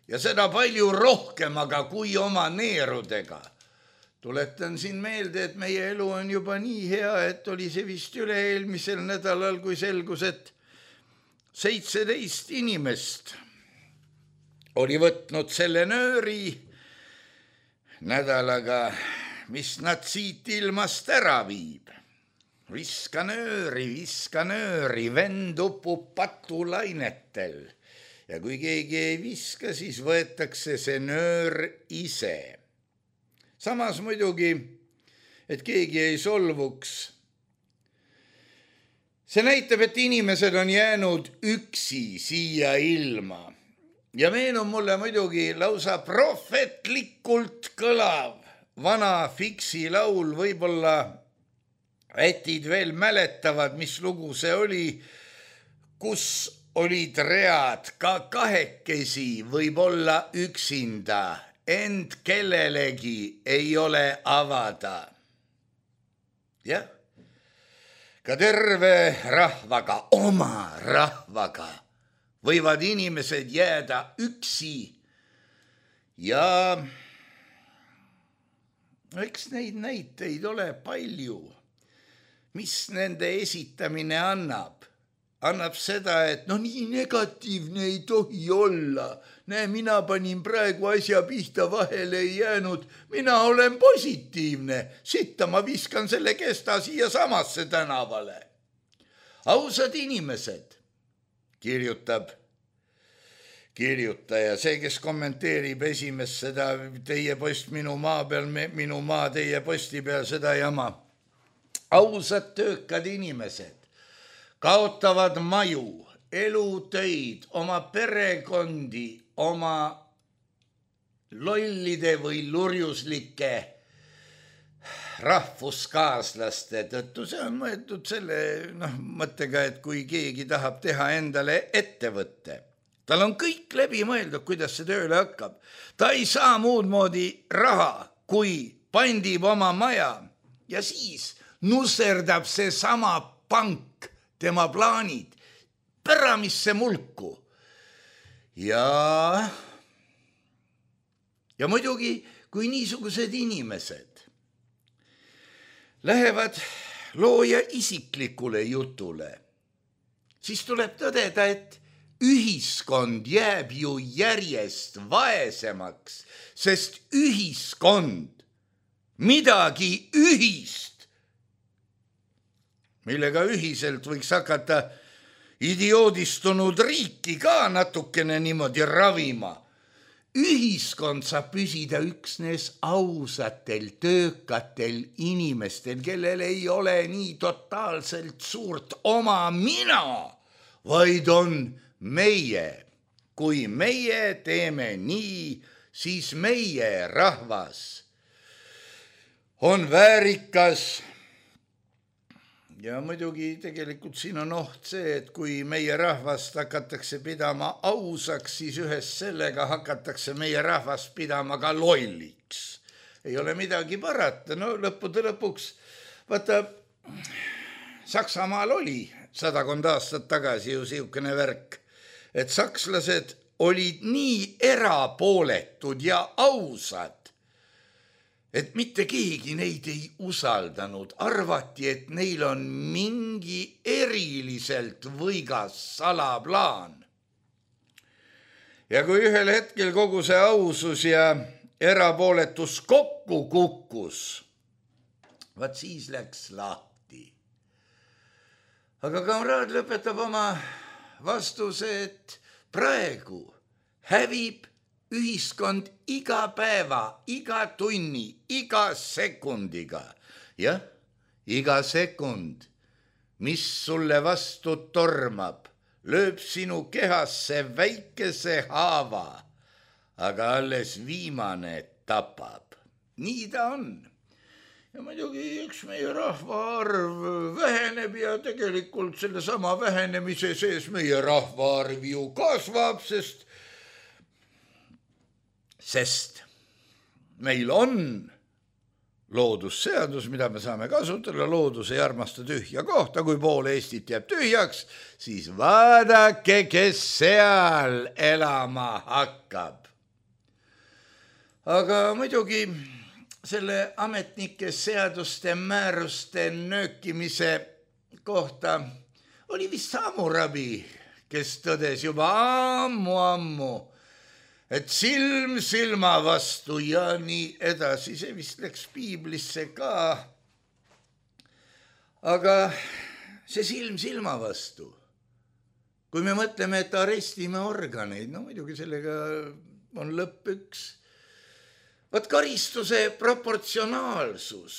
ja seda palju rohkem, aga kui oma neerudega. tuletan siin meelde, et meie elu on juba nii hea, et oli see vist üle-eelmisel nädalal, kui selgus, et seitseteist inimest oli võtnud selle nööri nädalaga, mis nad siit ilmast ära viib. Viska nööri, viska nööri, vend upub patulainetel. Ja kui keegi ei viska, siis võetakse see nöör ise. Samas muidugi, et keegi ei solvuks. See näitab, et inimesed on jäänud üksi siia ilma. Ja meenub mulle muidugi lausa prohvetlikult kõlav vana Fiksi laul, võib-olla ätid veel mäletavad, mis lugu see oli, kus olid read ka kahekesi, võib-olla üksinda, ent kellelegi ei ole avada. Jah, ka terve rahvaga, oma rahvaga võivad inimesed jääda üksi ja eks neid näiteid ole palju. Mis nende esitamine annab? Annab seda, et no nii negatiivne ei tohi olla. Näe, mina panin praegu asja pihta, vahele ei jäänud. Mina olen positiivne. Sitta ma viskan selle kesta siia samasse tänavale. Ausad inimesed, kirjutab kirjutaja, see, kes kommenteerib esimest seda teie post minu maa peal, minu maa teie posti peal, seda jama. Ausad töökad inimesed kaotavad maju, elutöid, oma perekondi, oma lollide või lurjuslike rahvuskaaslaste tõttu. See on mõeldud selle noh, mõttega, et kui keegi tahab teha endale ettevõtte, tal on kõik läbi mõeldud, kuidas see tööle hakkab. Ta ei saa muud moodi raha, kui pandib oma maja ja siis nusserdab see sama pank tema plaanid päramisse mulku. Ja, ja muidugi, kui niisugused inimesed lähevad looja isiklikule jutule, siis tuleb tõdeda, et ühiskond jääb ju järjest vaesemaks, sest ühiskond, midagi ühist, millega ühiselt võiks hakata idioodistunud riiki ka natukene niimoodi ravima. Ühiskond saab püsida üksnes ausatel, töökatel inimestel, kellel ei ole nii totaalselt suurt oma mina, vaid on meie. Kui meie teeme nii, siis meie rahvas on väärikas. Ja muidugi tegelikult siin on oht see, et kui meie rahvast hakatakse pidama ausaks, siis ühes sellega hakatakse meie rahvast pidama ka lolliks. Ei ole midagi parata, no lõppude lõpuks, vaata, Saksamaal oli sadakond aastat tagasi ju siukene värk, et sakslased olid nii erapooletud ja ausad, et mitte keegi neid ei usaldanud. Arvati, et neil on mingi eriliselt võigas salaplaan. Ja kui ühel hetkel kogu see ausus ja erapooletus kokku kukkus, vaat siis läks lahti. Aga kamraad lõpetab oma vastuse, et praegu hävib ühiskond iga päeva, iga tunni, iga sekundiga. Jah, iga sekund, mis sulle vastu tormab, lööb sinu kehasse väikese haava, aga alles viimane tapab. Nii ta on. Ja muidugi üks meie rahvaarv väheneb ja tegelikult selle sama vähenemise sees meie rahvaarv ju kasvab, sest Sest meil on loodusseadus, mida me saame kasutada, loodus ei armasta tühja kohta, kui pool Eestit jääb tühjaks, siis vaadake, kes seal elama hakkab. Aga muidugi selle ametnike seaduste määruste nöökimise kohta oli vist Hammurabi, kes tõdes juba ammu-ammu, et silm silma vastu ja nii edasi. See vist läks piiblisse ka. Aga see silm silma vastu, kui me mõtleme, et arestime organeid, no muidugi sellega on lõpp üks. Vaat karistuse proportsionaalsus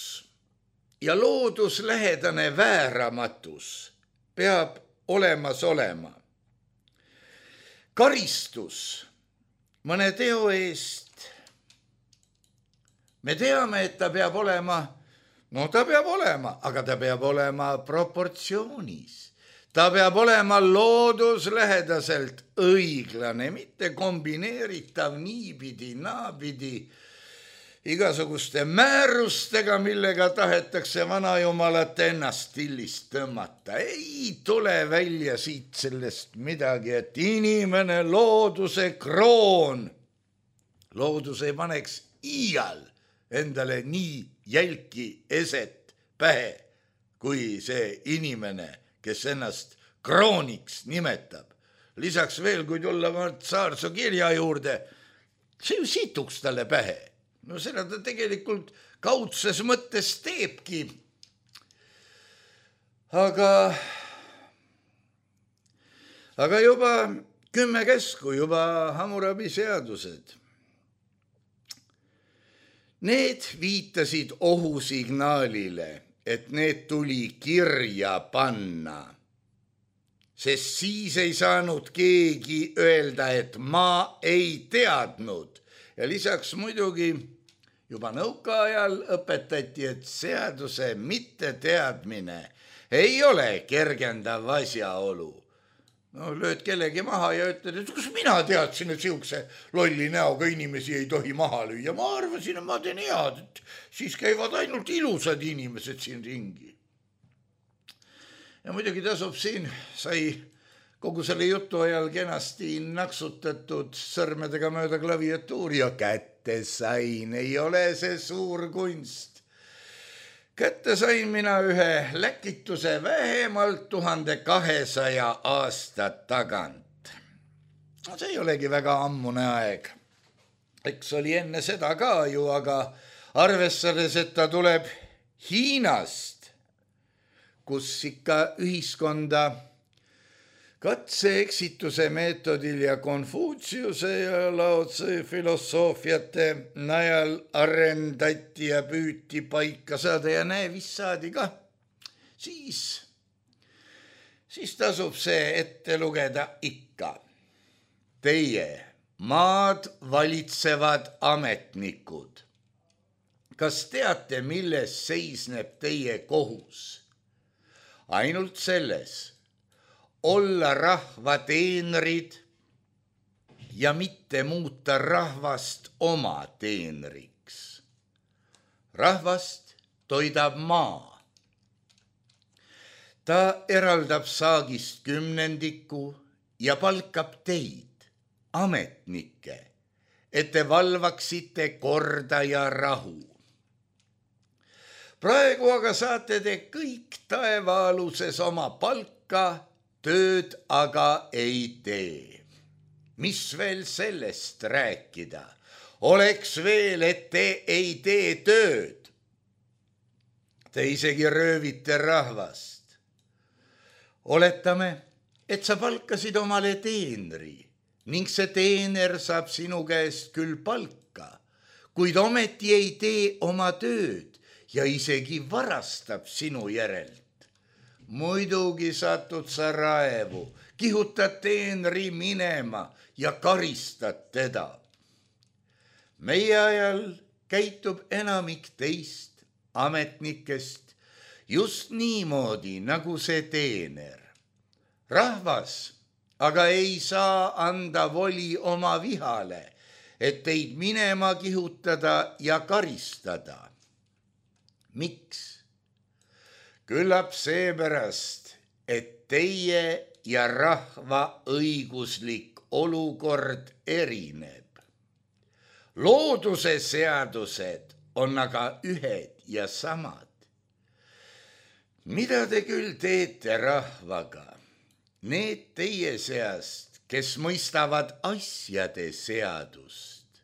ja looduslähedane vääramatus peab olemas olema. Karistus mõne teo eest, me teame, et ta peab olema, no ta peab olema, aga ta peab olema proportsioonis. Ta peab olema looduslähedaselt õiglane, mitte kombineeritav niipidi, naapidi, igasuguste määrustega, millega tahetakse vanajumalat ennast stillist tõmmata. Ei tule välja siit sellest midagi, et inimene looduse kroon. Loodus ei paneks iial endale nii jälki eset pähe, kui see inimene, kes ennast krooniks nimetab. Lisaks veel, kui tulla Saarso kirja juurde, see ju situks talle pähe. No seda ta tegelikult kaudses mõttes teebki. Aga, aga juba kümme käsku, juba Hammurabi seadused. Need viitasid ohusignaalile, et need tuli kirja panna. Sest siis ei saanud keegi öelda, et ma ei teadnud. Ja lisaks muidugi juba nõukaajal õpetati, et seaduse mitteteadmine ei ole kergendav asjaolu. No lööd kellegi maha ja ütled, et kus mina teadsin, et siukse lolli näoga inimesi ei tohi maha lüüa. Ma arvasin, et ma teen head, et siis käivad ainult ilusad inimesed siin ringi. Ja muidugi tasub siin, sai kogu selle jutu ajal kenasti naksutatud sõrmedega mööda klaviatuuri ja kätte sain. Ei ole see suur kunst. Kätte sain mina ühe läkituse vähemalt tuhande kahesaja aasta tagant. No see ei olegi väga ammune aeg. Eks oli enne seda ka ju, aga arvestades, et ta tuleb Hiinast, kus ikka ühiskonda katse-eksituse meetodil ja Konfutsiuse ja Lao Tse filosoofiate najal arendati ja püüti paika saada ja näe, vist saadi ka. Siis, siis tasub see ette lugeda ikka. Teie maad valitsevad ametnikud. Kas teate, milles seisneb teie kohus? Ainult selles, olla rahva teenrid ja mitte muuta rahvast oma teenriks. Rahvast toidab maa. Ta eraldab saagist kümnendiku ja palkab teid, ametnikke, et te valvaksite korda ja rahu. Praegu aga saate te kõik taevaaluses oma palka, tööd aga ei tee. Mis veel sellest rääkida? Oleks veel, et te ei tee tööd. Te isegi röövite rahvast. Oletame, et sa palkasid omale teenri ning see teener saab sinu käest küll palka, kuid ometi ei tee oma tööd ja isegi varastab sinu järelt. Muidugi satud sa raevu, kihutad teenri minema ja karistad teda. Meie ajal käitub enamik teist ametnikest just niimoodi, nagu see teener. Rahvas aga ei saa anda voli oma vihale, et teid minema kihutada ja karistada. Miks? Küllap seepärast, et teie ja rahva õiguslik olukord erineb. Looduse seadused on aga ühed ja samad. Mida te küll teete rahvaga? Need teie seast, kes mõistavad asjade seadust.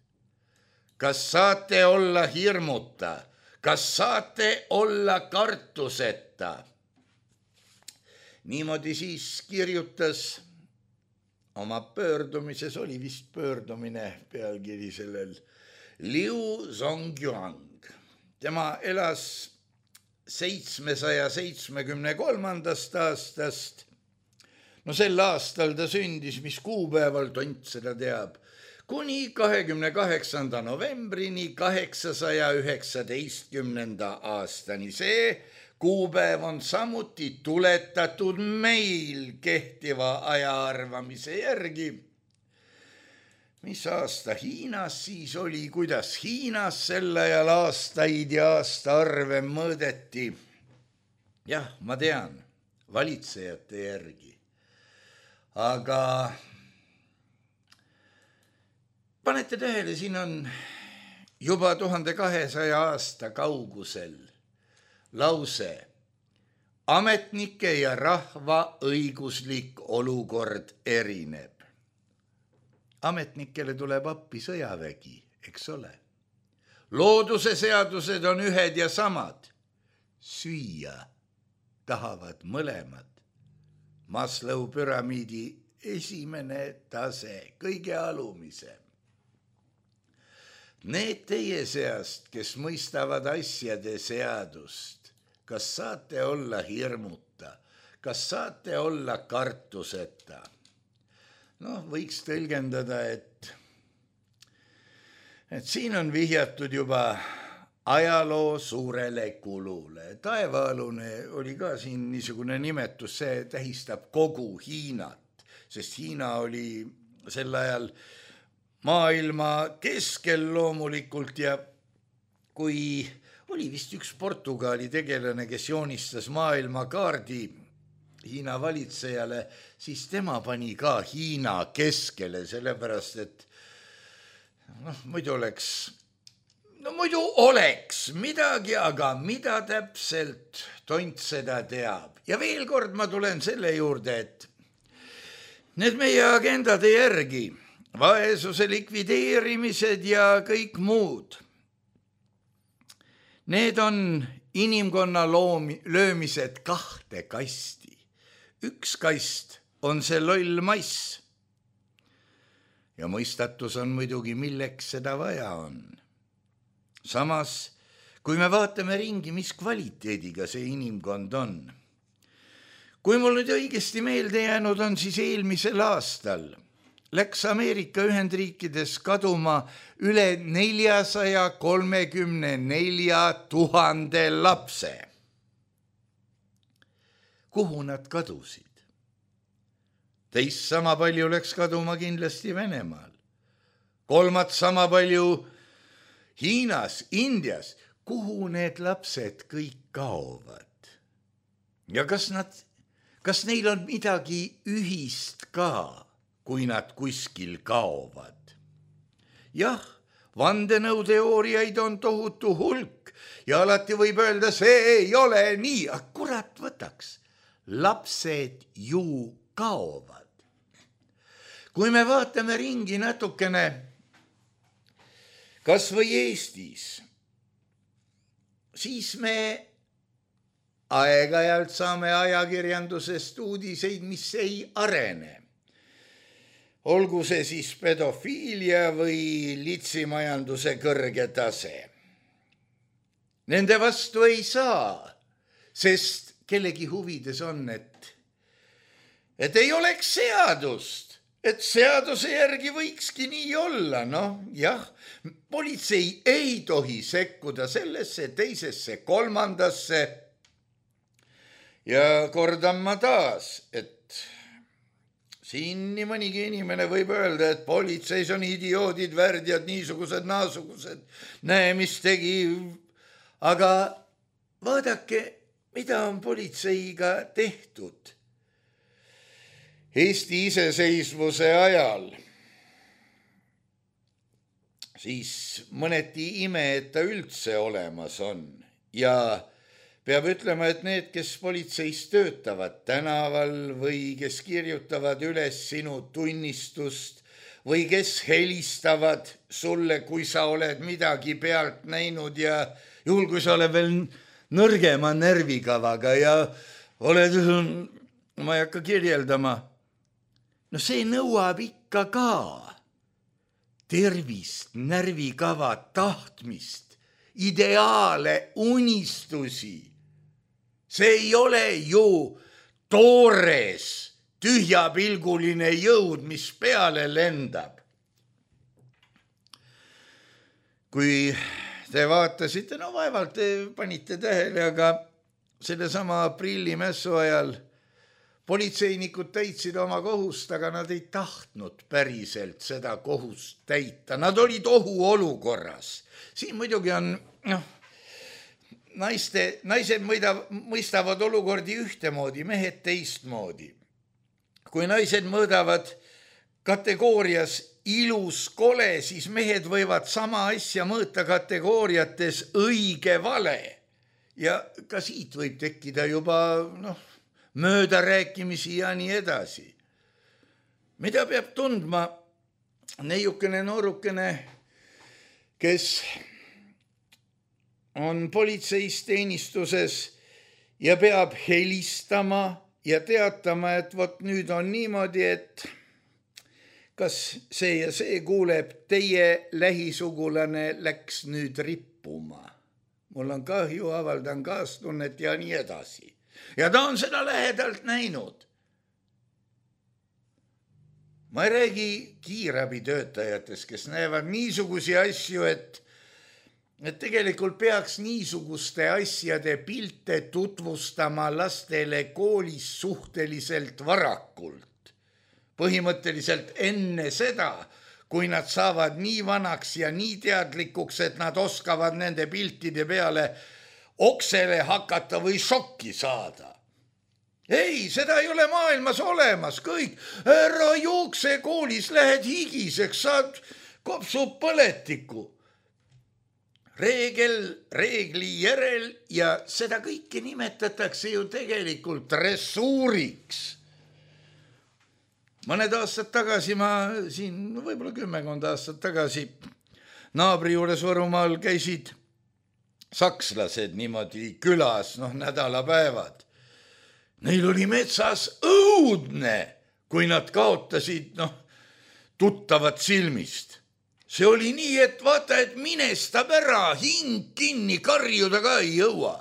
Kas saate olla hirmuta? Kas saate olla kartuseta? Niimoodi siis kirjutas oma pöördumises, oli vist pöördumine pealkiri sellel, Liu Zongyuan. Tema elas seitsmesaja seitsmekümne kolmandast aastast. No sel aastal ta sündis, mis kuupäeval, tont seda teab, kuni kahekümne kaheksanda novembrini kaheksasaja üheksateistkümnenda aastani. See kuupäev on samuti tuletatud meil kehtiva ajaarvamise järgi. Mis aasta Hiinas siis oli, kuidas Hiinas sel ajal aastaid ja aastaarve mõõdeti? Jah, ma tean, valitsejate järgi. Aga panete tähele, siin on juba tuhande kahesaja aasta kaugusel lause: ametnike ja rahva õiguslik olukord erineb. Ametnikele tuleb appi sõjavägi, eks ole. Looduse seadused on ühed ja samad. Süüa tahavad mõlemad. Maslow püramiidi esimene tase, kõige alumise. Need teie seast, kes mõistavad asjade seadust, kas saate olla hirmuta, kas saate olla kartuseta? Noh, võiks tõlgendada, et, et siin on vihjatud juba ajaloo suurele kulule. Taevaalune oli ka siin niisugune nimetus, see tähistab kogu Hiinat, sest Hiina oli sel ajal maailma keskel loomulikult ja kui oli vist üks Portugali tegelane, kes joonistas maailmakaardi Hiina valitsejale, siis tema pani ka Hiina keskele, sellepärast et noh, muidu oleks, no muidu oleks midagi, aga mida täpselt, tont seda teab. Ja veel kord ma tulen selle juurde, et need meie agendade järgi, vaesuse likvideerimised ja kõik muud, need on inimkonna loomi, löömised kahte kasti. Üks kast on see loll mass. Ja mõistatus on muidugi, milleks seda vaja on. Samas, kui me vaatame ringi, mis kvaliteediga see inimkond on. Kui mul nüüd õigesti meelde jäänud on, siis eelmisel aastal läks Ameerika Ühendriikides kaduma üle neljasaja kolmekümne nelja tuhande lapse. Kuhu nad kadusid? Teist sama palju läks kaduma kindlasti Venemaal. Kolmat sama palju Hiinas, Indias. Kuhu need lapsed kõik kaovad? Ja kas nad, kas neil on midagi ühist ka, kui nad kuskil kaovad? Jah, vandenõuteooriaid on tohutu hulk ja alati võib öelda, see ei ole nii. Kurat võtaks. Lapsed ju kaovad. Kui me vaatame ringi natukene, kas või Eestis, siis me aeg-ajalt saame ajakirjandusest uudiseid, mis ei arene. Olgu see siis pedofiilia või litsimajanduse kõrge tase. Nende vastu ei saa, sest kellegi huvides on, et, et ei oleks seadust, et seaduse järgi võikski nii olla. Noh, jah, politsei ei tohi sekkuda sellesse, teisesse, kolmandasse. Ja kordan ma taas, et siin nii mõnigi inimene võib öelda, et politseis on idioodid, värdjad, niisugused, naasugused, näe, mis tegi. Aga vaadake, mida on politseiga tehtud Eesti iseseisvuse ajal? siis mõneti ime, et ta üldse olemas on ja peab ütlema, et need, kes politseis töötavad tänaval või kes kirjutavad üles sinu tunnistust või kes helistavad sulle, kui sa oled midagi pealt näinud ja juhul, kui sa oled veel nõrgema närvikavaga ja oled, ma ei hakka kirjeldama, no see nõuab ikka ka tervist, närvikava, tahtmist, ideaale, unistusi. See ei ole ju toores, tühjapilguline jõud, mis peale lendab. Kui te vaatasite, no vaevalt te panite tähele, aga selle sama aprillimässu ajal politseinikud täitsid oma kohust, aga nad ei tahtnud päriselt seda kohust täita. Nad olid ohuolukorras. Siin muidugi on, noh, naiste, naised mõidav, mõistavad olukordi ühtemoodi, mehed teistmoodi. Kui naised mõõdavad kategoorias ilus kole, siis mehed võivad sama asja mõõta kategooriates õige vale. Ja ka siit võib tekkida juba, noh, möödarääkimisi ja nii edasi. Mida peab tundma neiukene noorukene, kes on politseis teenistuses ja peab helistama ja teatama, et vot nüüd on niimoodi, et kas see ja see kuuleb, teie lähisugulane läks nüüd rippuma. Mul on kahju, avaldan kaastunnet ja nii edasi. Ja ta on seda lähedalt näinud. Ma ei räägi kiirabitöötajatest, kes näevad niisugusi asju, et, et tegelikult peaks niisuguste asjade pilte tutvustama lastele koolis suhteliselt varakult. Põhimõtteliselt enne seda, kui nad saavad nii vanaks ja nii teadlikuks, et nad oskavad nende piltide peale oksele hakata või šokki saada. Ei, seda ei ole maailmas olemas, kõik. Ära jookse koolis, lähed higiseks, saad kopsub põletiku. Reegel, reegli järel ja seda kõike nimetatakse ju tegelikult dressuuriks. Mõned aastad tagasi ma siin, võib-olla kümmekond aastat tagasi, naabri juures Võrumaal käisid sakslased niimoodi külas, noh, nädalapäevad. Neil oli metsas õudne, kui nad kaotasid, noh, tuttavat silmist. See oli nii, et vaata, et minestab ära, hing kinni, karjuda ka ei jõua.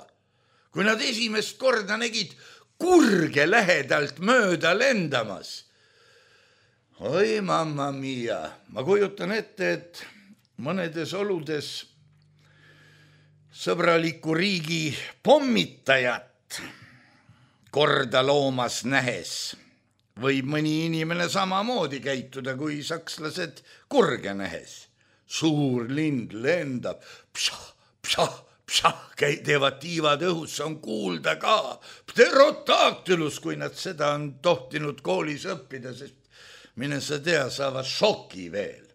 Kui nad esimest korda nägid kurge lähedalt mööda lendamas. Oi, mamma mia, ma kujutan ette, et mõnedes oludes sõbraliku riigi pommitajat korda loomas nähes võib mõni inimene samamoodi käituda kui sakslased kurge nähes. Suur lind lendab, pšah, pšah, pšah, teevad tiivad õhus, on kuulda ka. Pterodaktylus, kui nad seda on tohtinud koolis õppida, sest mine sa tea, saavad šoki veel.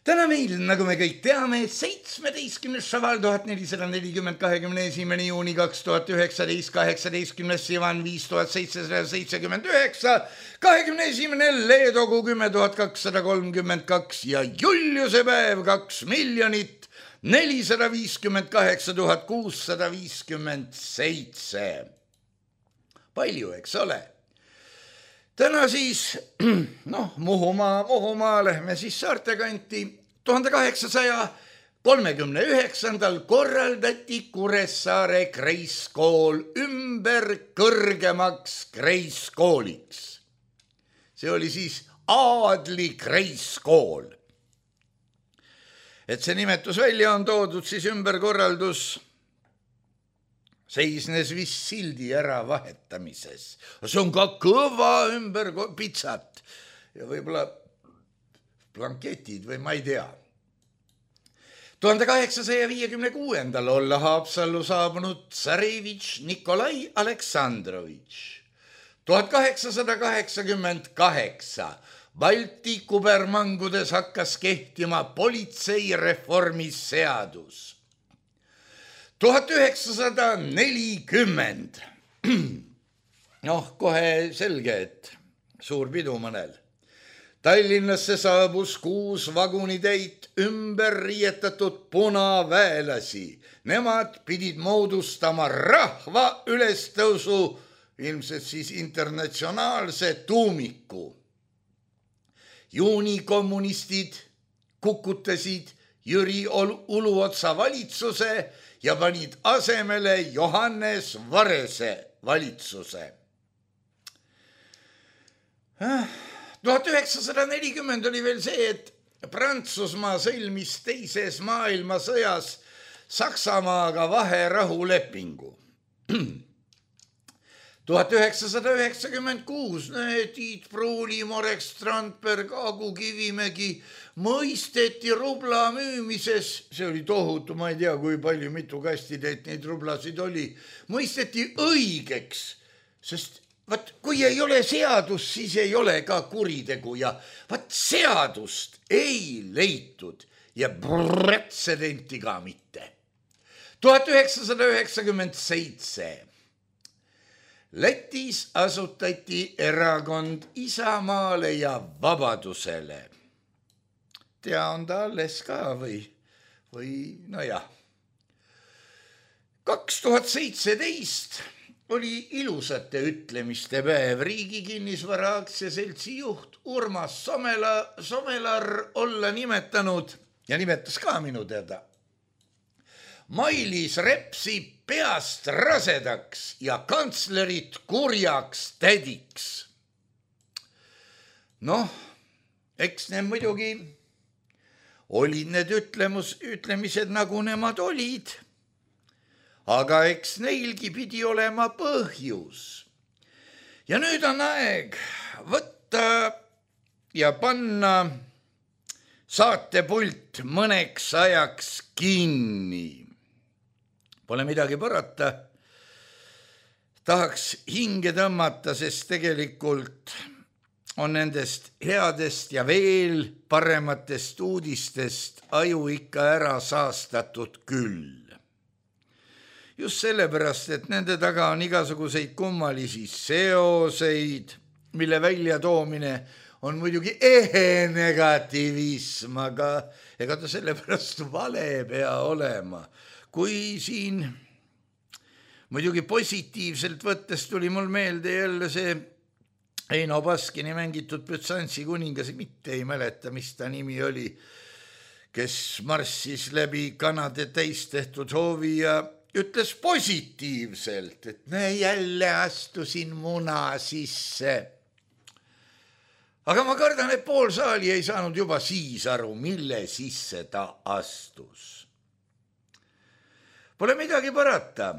Täna meil, nagu me kõik teame, seitsmeteistkümnes šaval tuhat nelisada nelikümmend kahekümne esimene juuni kaks tuhat üheksateist, kaheksateistkümnes Sivan viis tuhat seitsesada seitsekümmend üheksa, kahekümne esimene Leedogu kümme tuhat kakssada kolmkümmend kaks ja Juliuse päev kaks miljonit nelisada viiskümmend kaheksa tuhat kuussada viiskümmend seitse. Palju, eks ole? Täna siis, noh, Muhumaa, Muhumaa, lähme siis saartekanti. tuhande kaheksasaja kolmekümne üheksandal korraldati Kuressaare Kreiskool ümber kõrgemaks Kreiskooliks. See oli siis Aadli Kreiskool. Et see nimetus välja on toodud, siis ümberkorraldus seisnes vist sildi ära vahetamises. See on ka kõva ümber pitsat ja võib-olla blanketid või ma ei tea. tuhande kaheksasaja viiekümne kuuendal olla Haapsallu saabunud tsarevitš Nikolai Aleksandrovitš. tuhat kaheksasada kaheksakümmend kaheksa Balti kubermangudes hakkas kehtima politseireformi seadus. tuhat üheksasada nelikümmend. Noh, kohe selge, et suur pidu mõnel. Tallinnasse saabus kuus vagunitäit ümber riietatud punaväelasi. Nemad pidid moodustama rahva ülestõusu, ilmselt siis internatsionaalse tuumiku. Juunikommunistid kukutasid Jüri Uluotsa valitsuse ja panid asemele Johannes Varese valitsuse. tuhat üheksasada nelikümmend oli veel see, et Prantsusmaa sõlmis teises maailmasõjas Saksamaaga vaherahulepingu. tuhat üheksasada üheksakümmend kuus Tiit Pruuli, Marek Strandberg, Agu Kivimägi mõisteti rubla müümises, see oli tohutu, ma ei tea, kui palju, mitu kastitäit neid rublasid oli, mõisteti õigeks, sest vaat kui ei ole seadust, siis ei ole ka kuritegu ja vaat seadust ei leitud ja pretsedenti ka mitte. tuhat üheksasada üheksakümmend seitse Lätis asutati erakond Isamaale ja Vabadusele. Tea, on ta alles ka või, või no jah. kaks tuhat seitseteist oli ilusate ütlemiste päev. Riigi kinnisvara aktsiaseltsi juht Urmas Somela, Somelar olla nimetanud ja nimetas ka minu teada Mailis Repsi peast rasedaks ja kantslerit kurjaks tädiks. Noh, eks need muidugi olid need ütlemus, ütlemised nagu nemad olid, aga eks neilgi pidi olema põhjus. Ja nüüd on aeg võtta ja panna saatepult mõneks ajaks kinni. Pole midagi parata. Tahaks hinge tõmmata, sest tegelikult on nendest headest ja veel parematest uudistest aju ikka ära saastatud küll. Just sellepärast, et nende taga on igasuguseid kummalisi seoseid, mille väljatoomine on muidugi ehe negatiivism, aga ega ta sellepärast vale pea olema. Kui siin muidugi positiivselt võttes tuli mul meelde jälle see Eino Baskini mängitud Bütsantsi kuningas, mitte ei mäleta, mis ta nimi oli, kes marssis läbi kanade täistehtud hoovi ja ütles positiivselt, et me jälle astusin muna sisse. Aga ma kardan, et pool saali ei saanud juba siis aru, mille sisse ta astus. Pole midagi parata.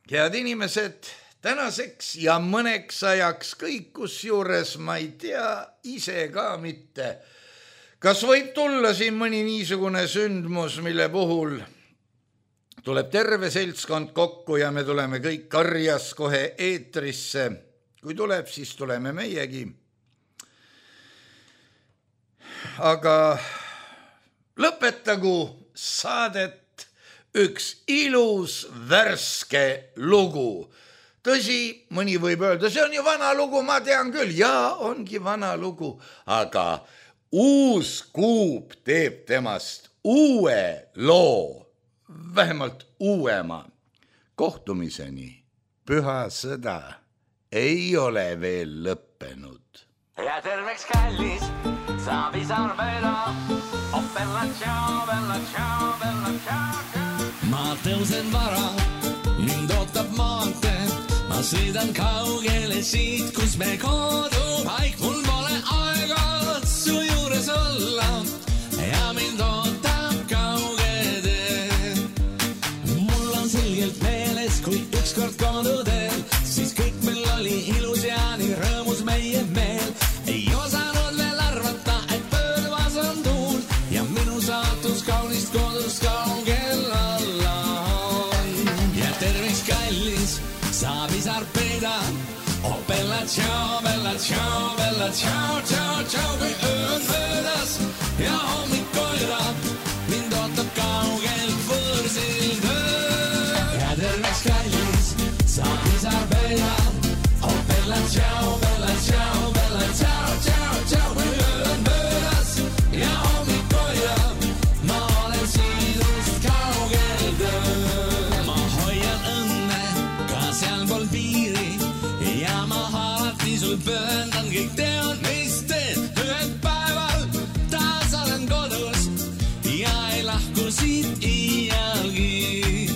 Head inimesed, tänaseks ja mõneks ajaks kõik, kus juures ma ei tea ise ka mitte. Kas võib tulla siin mõni niisugune sündmus, mille puhul tuleb terve seltskond kokku ja me tuleme kõik karjas kohe eetrisse. Kui tuleb, siis tuleme meiegi. Aga lõpetagu saadet üks ilus värske lugu. Tõsi, mõni võib öelda, see on ju vana lugu, ma tean küll. Jaa, ongi vana lugu, aga uus kuub teeb temast uue loo, vähemalt uuema. Kohtumiseni püha sõda ei ole veel lõppenud. Ja terveks kallis, Savisaar mööda, oh bella ciao, bella ciao, bella ciao, ciao. Ma tõusen vara, mind ootab maantee, ma sõidan kaugele siit, kus me kodupaik, mul pole aega su juures olla ja mind ootab kauge tee. Mul on selgelt meeles, kui ükskord koduteel, siis kõik meil oli ilus ja nii rõõmus meie meel. Ei osanud veel arvata, et pöörvas on tuul ja minu saatus kaunist kodust kaugel alla. Ja terveks kallis, Savisaar peeda, oh bella ciao, bella ciao, bella ciao, ciao, ciao, kui öö on möödas ja hommik koirab, mind ootab kaugel võõrsil töö. Ja terveks kallis, sa pisar peida, oh bella ciao, bella ciao, bella ciao, ciao, ciao, kui öö on möödas ja hommik koirab, ma olen sinust kaugel töö. Ma hoian õnne ka sealpool piiri ja ma alati sul pööndan, kõik tean, mis teed ühel päeval. Taas olen kodus ja ei lahku siit iialgi.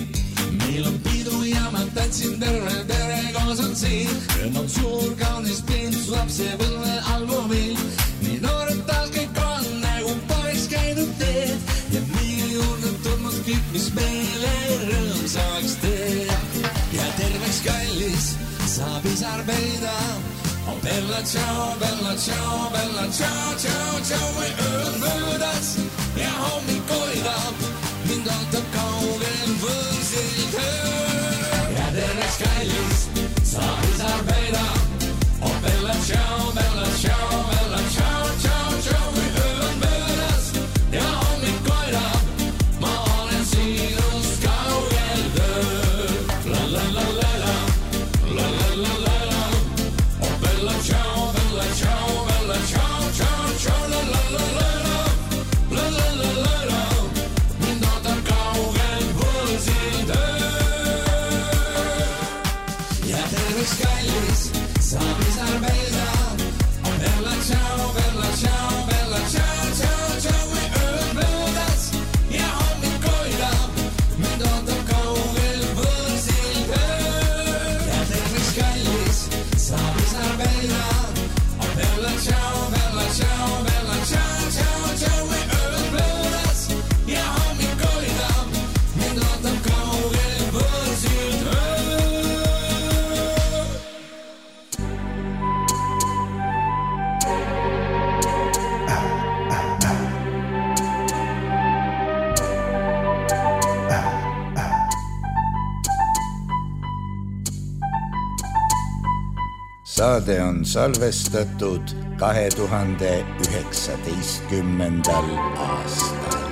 Meil on pidu ja ma tantsin terve pere koos on siin. Rõõm on suur, kaunis pind, su lapsepõlve albumil. Nii noored taas kõik on, nagu poleks käinud teed. Ja meie juurde tulnud kõik, mis meile rõõmsaks teeb. Ja terveks kallis, sa pisar peida, oh bella ciao, bella ciao, bella ciao, ciao, ciao, kui öö on möödas ja hommik koidab, mind ootab kaugel võõrsil töö. Ja terveks kallis, sa pisar peida, oh bella ciao, bella ciao, bella ciao, ciao, ciao, kui öö on möödas ja hommik koidab, ma olen sinust kaugel töö. La la la la la, la la la la la, oh bella ciao, bella ciao, bella ciao, ciao, ciao, la la la la la, la la la la la, mind ootab kaugel võõrsil töö. Ja terveks kallis, sa pisar peida, oh bella ciao, bella ciao, bella ciao, ciao, ciao, kui öö on möödas ja hommik koidab, mind ootab kaugel võõrsil töö. Ja terveks kallis, sa pisar peida, oh bella ciao, bella ciao, bella ciao, ciao, ciao, kui öö on möödas ja hommik koidab, mind ootab kaugel võõrsil töö. Saade on salvestatud kahe tuhande üheksateistkümnendal aastal.